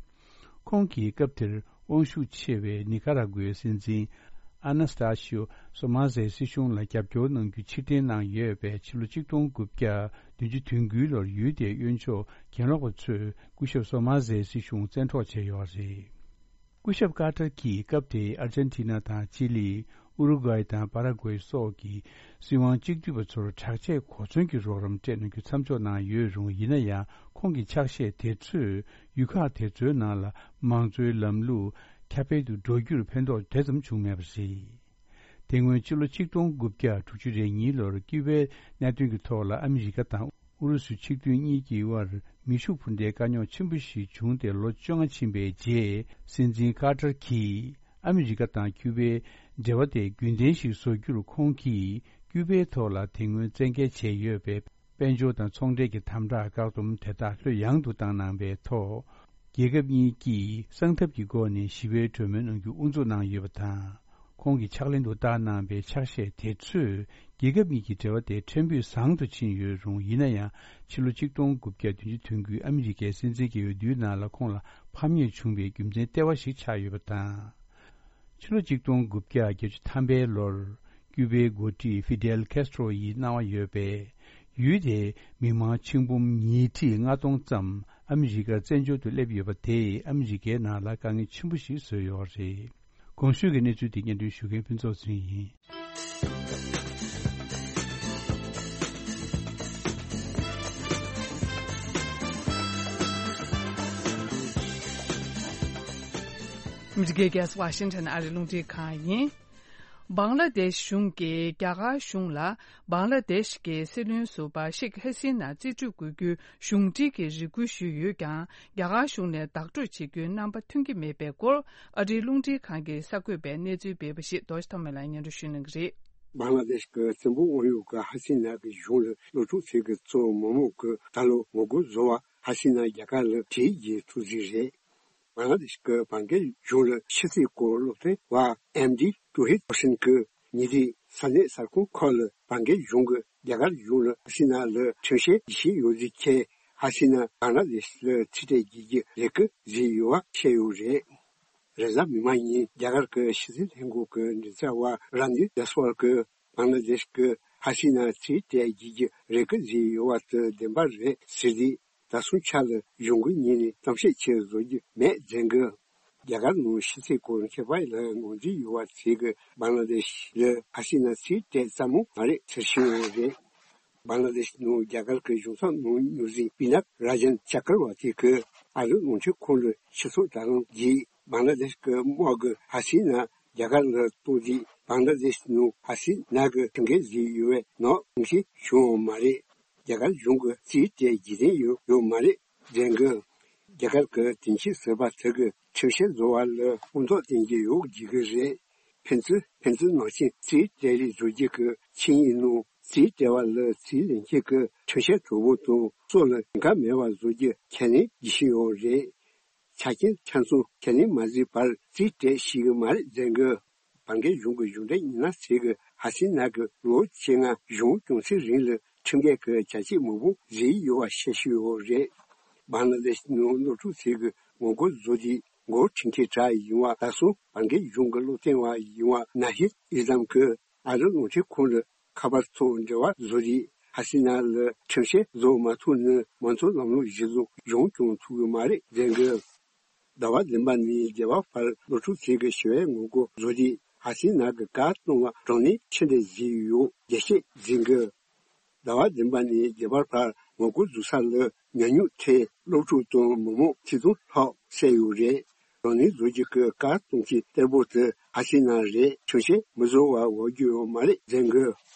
ཁོང་གིས་སྐབས་དེར་དབང་ཤུགས་ཆེ་བའི་ནི་ཀ་ར་གུའི་སྲིད་འཛིན་ཨ་ན་སྟ་ཤིའོ་སོ་མ་ཟའི་སྲིད་གཞུང་ལ་རྒྱབ་སྐྱོར་གནང་རྒྱུ་ཕྱིར་འཐེན་གནང་ཡོད་པས། ཕྱི་ལོ་ཆིག་སྟོང་དགུ་བརྒྱ་བདུན་ཅུ་དོན་དགུའི་ལོར་ཡུལ་དེའི་གཡོན་ཕྱོགས་གྱེན་ལོག་པ་ཚོས་སྐུ་ཞབས་སོ་མ་ཟའི་སྲིད་གཞུང་བཙན་འཕྲོག་བྱས་ཡོད་རེད། སྐུ་ཞབས་ཀར་ཏར་གྱིས་སྐབས་དེའི་ཨར་ཇན་ཊི་ན་དང་ཅི་ལི། ཨུ་རུ་གུའེ་དང་པ་ར་གུའེ་སོགས་ཀྱི་སྲིད་དབང་གཅིག་སྡུད་པ་ཚོར་དྲག་ཆས་གོ་མཚོན་གྱི་རོགས་རམ་སྤྲད་གནང་རྒྱུ་མཚམས་འཇོག་གནང་ཡོད་རུང་། ཡིན་ན་ཡང་ཁོང་གི་ཕྱག་བཞེས་དེ་ཚོས་ཡུལ་ཁག་དེ་ཚོའི་ནང་ལ་མང་གཙོའི་ལམ་ལུགས་ཁྱབ་སྤེལ་དུ་འགྲོ་རྒྱུར་ཕན་ཐོགས་དེ་ཙམ་བྱུང་མེད་པ་རེད། དེ་སྔོན་ཕྱི་ལོ་ཆིག་སྟོང་དགུ་བརྒྱ་དྲུག་ཅུ་རེ་གཉིས་ལོར་ཀིའུ་པའི་གནད་དོན་གྱི་ཐོག་ལ་ཨ་མི་རི་ཀ་དང་ཨུ་རུ་སུ་ཆིག་མཐུན་གཉིས་ཀྱི་དབར་མེ་ཤུགས་འཕུར་མདའི་དཀའ་རྙོག་ཆེན་པོ་ཞིག་བྱུང་སྟེ་ལོ་བཅོ་ལྔ་ཕྱིན་པའི་རྗེས། སྲིད་འཛིན་ཀར་ཏར་གྱིས་ཨ་མི་རི་ཀ་དང་ཀིའུ་པའི་འབྲེལ་བ་དེ་རྒྱུན་ལྡན་ཞིག་བཟོ་རྒྱུར་ཁོང་གིས་ཀིའུ་པའི་ཐོག་ལ་དེ་སྔོན་བཙན་འགེལ་བྱས་ཡོད་པའི་དཔལ་འབྱོར་དང་ཚོང་འབྲེལ་གྱི་དམ་དྲག་བཀག་སྡོམ་དེ་དག་ལྷོད་ཡངས་དུ་བཏང་གནང་བའི་ཐོག་རྒྱལ་ཁབ་གཉིས་ཀྱིས་གསང་ཐབས་ཀྱི་སྒོ་ནས་ཞི་བའི་གྲོས་མོལ་གནང་རྒྱུ་དབུ་འཛུགས་གནང་ཡོད་པ་དང་། ཁོང་གི་ཕྱག་ལེན་དུ་བཏང་གནང་བའི་ཕྱག་བཞེས་དེ་ཚོས་རྒྱལ་ཁབ་གཉིས་ཀྱི་འབྲེལ་བ་དེ་ཕྲན་བུ་བཟང་དུ་ཕྱིན་ཡོད་རུང་། ཡིན་ན་ཡང་ཕྱི་ལོ་ཆིག་སྟོང་དགུ་བརྒྱ་བདུན་ཅུ་དོན་དགུའི་ཨ་མི་རི་ཀའི་སྲིད་འཛིན་གྱི་འོས་བསྡུའི་ནང་ལ་ཁོང་ལ་ཕམ་ཉེས་བྱུང་བའི་རྒྱུ་མཚན་ལྟེ་བ་ཞིག་ཆགས་ཡོད་པ་དང་། ཕྱི་ལོ་ཆིག་སྟོང་དགུ་བརྒྱ་བརྒྱད་ཅུ་ཐམ་པའི་ལོར་ཀིའུ་པའི་འགོ་ཁྲིད་ཧྥི་ཌེལ་ཁེ་སི་ཏྲོ་ཡིས་གནང་བ་ཡོད་པའི་ཡུལ་དེའི་མི་མང་ཆིག་འབུམ་ཉིས་ཁྲི་ལྔ་སྟོང་ཙམ་ཨ་མི་རི་ཀར་བཙན་བྱོལ་དུ་སླེབས་ཡོད་པ་དེས་ཨ་མི་རི་ཀའི་ནང་ལ་དཀའ་ངལ་ཆེན་པོ་ཞིག་བཟོས་ཡོད་རེད། གོང་ཞུས་ཀྱི་གནས་ཚུལ་དེ་སྙན་སྒྲོན་ཞུ་མཁན་ཕུན་ཚོགས་ཚུན་ཡིན། ཨ་མི་རི་ཀའི་རྒྱལ་ས་ཝ་ཤིང་ཊོན་ཨ་རིའི་རླུང་འཕྲིན་ཁང་ཡིན། བང་ལ་དེཤ་གཞུང་གིས་རྒྱ་གར་གཞུང་ལ་བང་ལ་དེཤ་གི་སྲིད་བློན་ཟུར་པ་ཤེག་ཧ་སི་ན་རྩིས་སྤྲོད་དགོས་རྒྱུའི་གཞུང་འབྲེལ་གྱི་རེ་སྐུལ་ཞུས་ཡོད་ཀྱང་། རྒྱ་གར་གཞུང་ནས་བདག་སྤྲོད་བྱེད་རྒྱུའི་རྣམ་པ་ཐོན་གྱི་མེད་པའི་སྐོར། ཨ་རིའི་རླུང་འཕྲིན་ཁང་གི་གསར་འགོད་པས་གནས་ཚུལ་སྤེལ་བ་ཞིག་རྡོ་རྗེ་ཐོགས་མེད་ལགས་སྙན་སྒྲོན་ཞུ་གནང་གི་རེད། བང་ལ་དེཤ་གི་བཙན་པོའི་དབང་ཡོད་ཀྱི་ཧ་སི་ན་གི་གཞུང་ལ་སློབ་ཕྲུག་ཚོས་ཀྱི་གཙོ་བོ་མི་མང་གི་ད་ལོ་ངོ་རྒོལ་བཟོ་བ་ཧ་སི་ན་རྒྱ་གར་ལ་བྲོས་རྗེས་ཐུག་རྩིས་རེད། བང་ལ་དེཤ་གི་བར་བརྒལ་གཞུང་ལ་ཕྱི་སྲིད་སྐོར་སློབ་སྟོན་པ་ཨེམ་ཌི་ཏུ་ཧིད་ཧོ་སིན་གྱིས་ཉེ་དུས་ས་གནས་གསར་ཁང་ཁག་ལ་བར་བརྒལ་གཞུང་གིས་རྒྱ་གར་གཞུང་ལ་ཧ་སི་ན་ལ་ཁྲིམས་བཤེར་བྱེད་བཞིན་ཡོད་ཚུལ་བཅས། ཧ་སི་ན་བང་ལ་དེཤ་ལ་རྩིས་སྤྲད་བྱེད་རྒྱུའི་རེ་སྐུལ་བཟོས་ཡོད་པ་བཤད་ཡོད་རེད། རེས་གཟའ་མིག་དམར་ཉིན་རྒྱ་གར་གྱི་ཕྱི་སྲིད་ལྷན་ཁང་གི་མགྲིན་ཚབ་པ་ར་ནི་ཇཱ་སི་ཝལ་གྱིས་བང་ལ་དེཤ་གིས་ཧ་སི་ན་རྩིས་སྤྲད་བྱེད་རྒྱུའི་རེ་སྐུལ་བཟོས་ཡོད་པ་དེ་བདེན་པ་རེད་ཟེར་ཏེ། ད་སོང་ཆ་ལ་གཞུང་གི་ངོས་ནས་གཏམ་བཤད་ཆེད་བཟོ་རྒྱུ་མེད་ཟེར་གི། རྒྱ་གར་ནང་ཕྱི་སྲིད་སྐོར་མཁས་པ་ལ་ངོས་འཛིན་ཡོད་པ་ཚོས་ཀྱིས་བང་ལ་དེཤ་ལ་ཧ་སི་ན་རྩིས་སྤྲད་ཙམ་མོ་མ་རེད་ཟེར་བཞིན་ཡོད་རེད། བང་ལ་དེཤ་ནང་རྒྱ་གར་གྱི་གཞུང་ཚབ་ནང་སྨྱུག་འཛིན་པི་ནག་ར་ཇན་ཅ་ཀར་བ་ཏི་གིས་ཨ་རིའི་རླུང་འཕྲིན་ཁང་ལ་ཆོས་ཚོགས་བཀྲ་ལམ་བརྒྱུད། བང་ལ་དེཤ་གི་དམག་གིས་ཧ་སི་ན་རྒྱ་གར་ལ་གཏོང་རྗེས་བང་ལ་དེཤ་ནང་ཧ་སི་ན་གི་ཁྲིམས་འགལ་བཟོས་ཡོད་པའི་ནག་ཉེས་ཤིག་བྱུང་ཡོད་མ་རེད། རྒྱ་གར་གཞུང་གིས་རྩིས་སྤྲད་རྒྱུ་དེ་ཡོད་ཡོད་མ་རེད་ཟེར་གི། རྒྱ་གར་གྱི་དོན་གཅོད་ཟུར་པ་དེ་གིས་ཁྲིམས་བཤེར་བཟོ་བ་ལ་དབང་ཐོག་བསྟན་གྱི་ཡོད་བརྗོད་ཀྱི་རེད། ཕན་ཚུན་ཕན་ཚུན་ནང་བཞིན་རྩིས་སྤྲད་རེས་བཟོ་རྒྱུ་གི་ཆིངས་ཡིག་ནང་རྩིས་སྤྲད་པ་ལ་རྩིས་ལེན་མཁན་གྱི་ཁྲིམས་བཤེར་གྲོགས་པོ་དང་སོགས་ལ་འགལ་མེད་པ་བཟོ་རྒྱུ་ཁས་ལེན་བྱེད་བཞིན་ཡོད་རེད། ཆ་རྐྱེན་ཆ་ཚང་ཁས་ལེན་མ་བཟོས་བར་རྩིས་སྤྲད་ཤེས་ཀྱི་མ་རེད་ཟེར་གི། བར་བརྒལ་གཞུང་གི་གཞུང་འབྲེལ་མི་སྣ་ཚོས་ཀྱིས་ཧ་སི་ན་གིས་ལོ་བཅོ་ལྔ་གཞུང་སྐྱོང་ཚེ་རིང་ལ་ཁྲིམས་འགལ་གྱི་བྱ་སྤྱོད་མང་པོ་བཟོས་ཡོད་པ་བཤད་བཞིན་ཡོད་རེད། བང་ལ་དེཤ་ནང་སློབ་ཕྲུག་ཚོས་ཀྱིས་ངོ་རྒོལ་བཟོ་དུས་འགོ་ཁྲིད་མཁན་གྲས་ཡིན་པ་ད་སོང་བར་བརྒལ་གཞུང་གི་སློབ་སྟོན་པ་ཡིན་པ་ན་ཧིད་ཨི་སི་ལམ་གྱིས་ཨ་རིའི་རླུང་འཕྲིན་ཁང་ལ་ཁ་པར་ཐོག་འབྲེལ་བ་བཟོ་དུས་ཧ་སི་ན་ལ་ཁྲིམས་བཤེར་བཟོ་མ་ཐུབ་ན་མང་གཙོ་ལམ་ལུགས་གཞིར་བཟུང་གཞུང་སྐྱོང་ཐུབ་ཀྱི་མ་རེད་ཟེར་གི། ཟླ་བ་བདུན་པ་ནས་བརྒྱད་པ་བར་སློབ་ཕྲུག་ཚོས་ཀྱིས་ཞི་བའི་ངོ་རྒོལ་བཟོ་དུས་ཧ་སི་ན་གིས་བཀག་གཏོང་བ་དྲག་གནོན་ཆེ་འདྲ་བཟོས་ཡོད་རྒྱས་བཤད་འཛིན་གི། ཟླ་བ་བདུན་པ་ནས་བརྒྱད་པ་བར་ངོ་རྒོལ་བཟོ་ས་ལ་ཉམས་མྱོང་ཐོན་སློབ་ཕྲུག་དང་མི་མང་ཆིག་སྟོང་ལྷག་བསད་ཡོད་རེད། དྲག་གནོན་བཟོ་རྒྱུ་གི་བཀག་གཏོང་གི་གཏེར་པོ་དེ་ཧ་སི་ན་རེད། ཁྲིམས་བཤེར་མི་བཟོ་བ་འོག་རྒྱུ་ཡོད་མ་རེད་ཟེར་གི།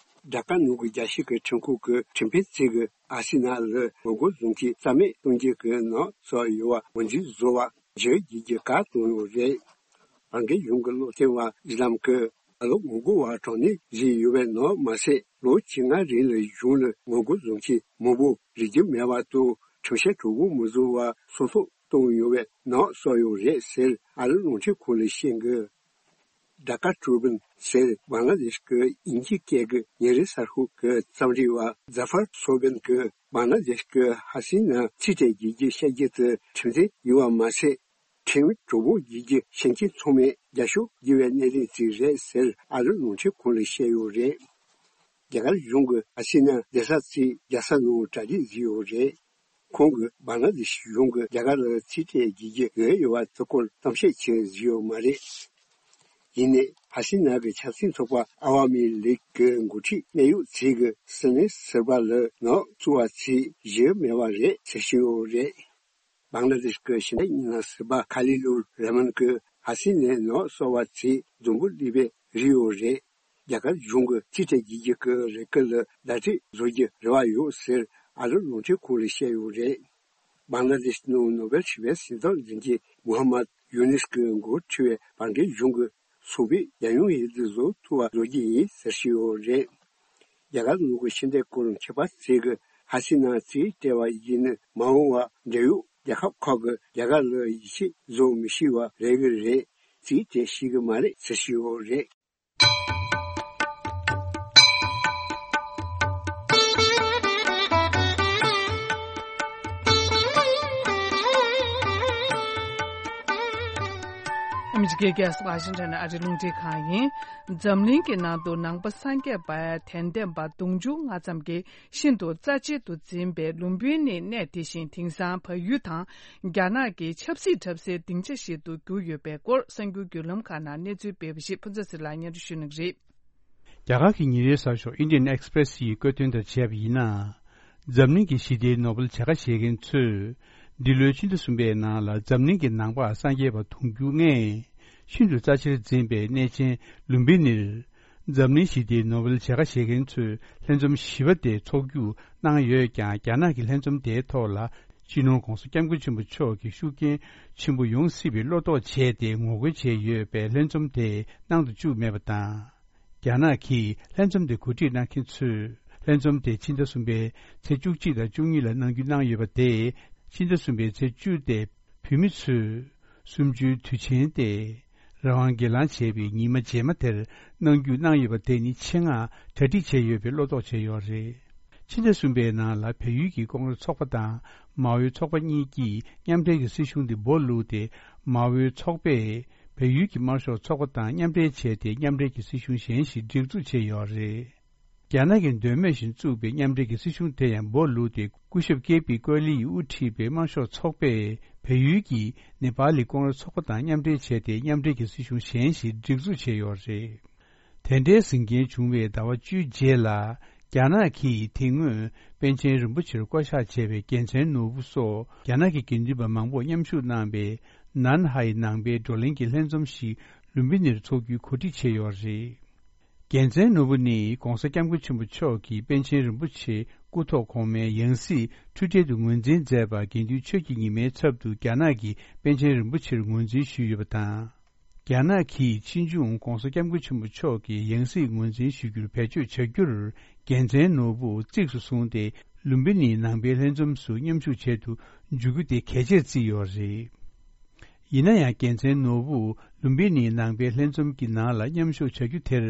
ཌ་ཀ་ནང་གི་རྒྱལ་སྤྱི་གི་ཁྲིམས་ཁང་གི་ཁྲིམས་དཔོན་ཚོས་ཀྱིས་ཨ་སི་ན་ལ་ངོ་རྒོལ་བཟོ་མཁན་རྩ་མེད་གཏོང་རྒྱུ་གི་ནག་སོགས་ཡོད་པ་ངོས་འཛིན་བཟོ་བ་བརྗོད་བགྱིད་ཀྱི་བཀའ་བཏང་ཡོད་རེད། བར་བརྒལ་གཞུང་གི་སློབ་སྟོན་པ་ཨི་སི་ལམ་གྱིས་ད་ལོ་ངོ་རྒོལ་བ་དྲག་གནོན་བཟོས་ཡོད་པའི་ནག་མ་ཟད། ལོ་བཅོ་ལྔ་རིང་ལ་གཞུང་ལ་ངོ་རྒོལ་བཟོ་མཁན་མང་པོ་རིག་རྒྱུ་མེད་པ་དང་ཁྲིམས་བཤེར་གྲོགས་པོ་མི་བཟོ་བར་སྲོག་ཐོག་བཏང་ཡོད་པའི་ནག་སོགས་ཡོད་རེད་ཟེར་ཨ་རིའི་རླུང་འཕྲིན་ཁང་ལ་བཤད་གི། ཌ་ཀ་ཊྲི་བིའུན་ཟེར་བང་ལ་དེཤ་གི་དབྱིན་ཇིའི་སྐད་ཀྱི་ཉིན་རེའི་གསར་ཤོག་གི་རྩོམ་སྒྲིག་པ་ཛ་ཧྥར་སོ་བིན་གྱིས་བང་ལ་དེཤ་གི་ཧ་སི་ན་རྩིས་སྤྲད་བྱེད་རྒྱུ་བཤད་རྒྱུ་དེ་ཁྲིམས་མཐུན་ཡིན་པ་མ་ཟད། ཁྲིམས་གྲོགས་པོ་བྱེད་རྒྱུ་ཤེས་མཁན་ཚང་མས་རྒྱབ་སྐྱོར་བྱེད་པའི་གནས་ཚུལ་ཅིག་རེད་ཟེར་ཨ་རིའི་རླུང་འཕྲིན་ཁང་ལ་བཤད་ཡོད་རེད། རྒྱ་གར་གཞུང་གིས་ཧ་སི་ན་བསྡད་ས་རྩིས་རྒྱག་ས་ནང་གྲ་སྒྲིག་བཟོས་ཡོད་རེད། ཁོང་གིས་བང་ལ་དེཤ་གཞུང་གིས་རྒྱ་གར་ལ་རྩིས་སྤྲད་བྱེད་རྒྱུ་འོས་ཡོད་པ་དེ་སྐོར་གཏམ་བཤད་བྱས་བཟོས་ཡོད་མ་རེད། ཡིན་ནའི་ཧ་སི་ན་གི་ཆབ་སྲིད་ཚོགས་པ་ཨ་ཝ་མི་ལིག་གི་འགོ་ཁྲིད་གནད་ཡོད་ཚོས་ཀྱིས་སི་ནི་ཟུར་པ་ལ་ནག་བཙུགས་པ་ཚོས་གཞི་མེད་པ་རེད་ཟེར་བཞིན་ཡོད་རེད། བང་ལ་དེཤ་གི་ཕྱི་འབྲེལ་ཉེས་ལས་ཟུར་པ་ཁ་ལི་ལུར་ར་མན་གྱིས་ཧ་སི་ནས་ནག་བཙུགས་པ་ཚོས་རྫུན་པོ་གློད་པའི་རིགས་ཡོད་རེད། རྒྱ་གར་གཞུང་གི་རྩིས་སྤྲད་བྱེད་རྒྱུ་གི་ལས་ཀ་ལ་ཟླ་སྒྲིལ་བཟོ་རྒྱུ་རེ་བ་ཡོད་ཟེར་ཨ་རི་རླུང་འཕྲིན་ཁང་ལ་བཤད་ཡོད་རེད། བང་ལ་དེཤ་ནང་ནོ་བེལ་ཞི་བའི་གཟེངས་རྟགས་འཛིན་མཁན་མུ་ཧམ་མད་ཡུ་ནིས་ཀྱི་འགོ་ཁྲིད་པའི་བར་བརྒལ་གཞུང་གི་ཚོགས་པས་རྒྱལ་ཡོངས་འོས་བསྡུ་བཟོ་ཐུབ་པ་བཟོ་རྒྱུ་ཡིན་ཟེར་བཤད་ཡོད་རེད། རྒྱ་གར་ནང་གི་ཕྱི་འབྲེལ་སྐོར་མཁས་པ་ཚོས་ཀྱི་ཧ་སི་ན་རྩིས་སྤྲད་པ་ཡིན་ན་མ་འོངས་པ་འབྲེལ་ཡོད་རྒྱལ་ཁབ་ཁག་གིས་རྒྱ་གར་ལ་ཡིད་ཆེས་བཟོ་མི་ཤེས་པ་རེད་གི་རེད། རྩིས་སྤྲད་ཤེས་གི་མ་རེད་ཟེར་བཤད་ཡོད་རེད། ཨ་མི་རི་ཀའི་རྒྱལ་ས་ཝ་ཤིང་ཊོན་ཨ་རིའི་རླུང་འཕྲིན་ཁང་ཡིན། འཛམ་གླིང་གི་ནང་དུ་ནང་པ་སངས་རྒྱས་པའི་དད་ལྡན་པ་དུང་ཕྱུར་ལྔ་ཙམ་གྱིས་ཤིན་ཏུ་རྩ་ཆེན་དུ་འཛིན་པའི་ལུམ་བི་ནི་གནས་དེ་བཞིན་དེང་སང་བལ་ཡུལ་དང་རྒྱ་ནག་གི་ཆབ་སྲིད་འཁྲབ་སའི་སྡིངས་ཆ་ཞིག་ཏུ་གྱུར་ཡོད་པའི་སྐོར་གསར་འགྱུར་བརྒྱུད་ལམ་ཁག་ནང་གནས་ཚུལ་སྤེལ་བ་ཞིག་ཕུན་ཚོགས་ཟེར་ལ་སྙན་སྒྲོན་ཞུ་གནང་གི་རེད། རྒྱ་གར་གྱི་ཉིན་རེའི་གསར་ཤོག་Indian Express་ཡིས་བཀོད་དོན་ལྟར་བྱས་པ་ཡིན་ན། འཛམ་གླིང་གི་ཞི་བདེའི་ནོ་བེལ་བྱ་དགའ་བཞེས་མཁན་ཚོས། འདི་ལོའི་ཕྱི་ཟླ་གསུམ་པའི་ནང་ལ་འཛམ་གླིང་གི་ནང་པ་སངས་རྒྱས་པ་དུང་ཕྱུར་ལྔས་ཤིན་ཏུ་རྩ་ཆེར་འཛིན་པའི་གནས་ཆེན་ལུམ་བི་ནིར། འཛམ་གླིང་ཞི་བདེའི་ནོ་བེལ་བྱ་དགའ་བཞེས་མཁན་ཚོས་ལྷན་འཛོམས་བཞི་པ་དེ་འཚོགས་རྒྱུ་གནང་ཡོད་ཀྱང་། རྒྱ་ནག་གི་ལྷན་འཛོམས་དེའི་ཐོག་ལ་སྤྱི་ནོར་༧གོང་ས་༧སྐྱབས་མགོན་ཆེན་པོ་མཆོག་གི་ཤུགས་རྐྱེན་ཆེན་པོ་ཡོང་སྲིད་པའི་བློ་དོགས་བྱས་ཏེ་ངོ་རྒོལ་བྱས་ཡོད་པས། ལྷན་འཛོམས་དེ་གནང་དུ་བཅུག་མེད་པ་དང་། རྒྱ་ནག་གིས་ལྷན་འཛོམས་དེ་གོ་སྒྲིག་གནང་མཁན་ཚོས་ལྷན་འཛོམས་དེ་ཕྱི་ཟླ་གསུམ་པའི་ཚེས་བཅུ་གཅིག་དང་བཅུ་གཉིས་ལ་གནང་རྒྱུ་གནང་ཡོད་པ་དེས། ཕྱི་ཟླ་གསུམ་པའི་ཚེས་བཅུ་སྟེ་བོད་མི་ཚོས་གསུམ་བཅུའི་དུས་ཆེན་ཏེ། རང་དབང་སྒེར་ལངས་བྱས་པའི་ཉི་མ་རྗེས་མ་དེར་གནང་རྒྱུ་གནང་ཡོད་པ་དེ་ནི་ཆེད་མངགས་གྲ་སྒྲིག་བྱས་ཡོད་པའི་བློ་དོགས་བྱས་ཡོད་རེད། ཕྱི་ཟླ་གསུམ་པའི་ནང་ལ་བལ་ཡུལ་གྱི་ཀོང་རེས་ཚོགས་པ་དང་མའོའི་ཚོགས་པ་གཉིས་ཀྱིས་མཉམ་འབྲེལ་གྱི་སྲིད་གཞུང་དེ་འབོ་བླུགས་ཏེ། མའོའི་ཚོགས་པས་བལ་ཡུལ་གྱི་དམར་ཤོག་ཚོགས་པ་དང་མཉམ་འབྲེལ་བྱས་ཏེ། མཉམ་འབྲེལ་གྱི་སྲིད་གཞུང་གཞན་ཞིག་སྒྲིག་འཛུགས་བྱས་ཡོད་རེད། རྒྱ་ནག་གི་འདོད་མོས་བཞིན་བཙུགས་པའི་མཉམ་འབྲེལ་གྱི་སྲིད་གཞུང་དེ་ཡང་འབོ་བླུགས་ཏེ། སྐུ་ཞབས་ཀེ་པི་ཀོ་ལི་ཡིས་དབུ་ཁྲིད་པའི་དམར་ཤོག་ཚོགས་པས་བལ་ཡུལ་གྱི་ནེ་པཱ་ལི་ཀོང་རེས་ཚོགས་པ་དང་མཉམ་འབྲེལ་བྱས་ཏེ། མཉམ་འབྲེལ་གྱི་སྲིད་གཞུང་གཞན་ཞིག་སྒྲིག་འཛུགས་བྱས་ཡོད་རེད། དེ་འདྲའི་ཟིང་རྐྱེན་བྱུང་བའི་ཟླ་བ་བཅུའི་རྗེས་ལ། རྒྱ་ནག་གིས་དེ་སྔོན་པཎ་ཆེན་རིན་པོ་ཆེར་བསྐོ་གཞག་བྱས་པའི་རྒྱལ་མཚན་ནོར་བུ་སོགས་རྒྱ་ནག་གི་དགེ་འདུན་པ་མང་པོ་མཉམ་ཞུགས་གནང་པའི་ནན་ཧའེ་ནང་པའི་བགྲོ་གླེང་གི་ལྷན་འཛོམས་ཤིག་ལུམ་བི་ནིར་འཚོགས་རྒྱུའི་གོ་སྒྲིག་བྱས་ཡོད་རེད། རྒྱལ་མཚན་ནོར་བུ་ནི་༧གོང་ས་༧སྐྱབས་མགོན་ཆེན་པོ་མཆོག་གིས་པཎ་ཆེན་རིན་པོ་ཆེ་སྐུ་ཐོག་གོང་མའི་ཡང་སྲིད་འཁྲུལ་བྲལ་དུ་ངོས་འཛིན་མཛད་པ། དགེ་འདུན་ཆོས་ཀྱི་ཉི་མའི་ཚབ་ཏུ་རྒྱ་ནག་གིས་པཎ་ཆེན་རིན་པོ་ཆེར་ངོས་འཛིན་ཞུས་ཡོད་པ་དང་། རྒྱ་ནག་གིས་ཕྱིས་འབྱུང་༧གོང་ས་༧སྐྱབས་མགོན་ཆེན་པོ་མཆོག་གི་ཡང་སྲིད་ངོས་འཛིན་ཞུ་རྒྱུར་བེད་སྤྱོད་བྱ་རྒྱུར། རྒྱལ་མཚན་ནོར་བུ་གཙིགས་སུ་བཟུང་སྟེ། ལུམ་བི་ནིའི་ནང་པའི་ལྷན་འཛོམས་སུ་མཉམ་ཞུགས་བྱེད་དུ་འཇུག་རྒྱུ་དེ་གལ་ཆེར་བརྩིས་ཡོད་རེད། ཡིན་ན་ཡང་། རྒྱལ་མཚན་ནོར་བུ་ལུམ་བི་ནིའི་ནང་པའི་ལྷན་འཛོམས་ཀྱི་ནང་ལ་མཉམ་ཞུགས་བྱ་རྒྱུ་དེར།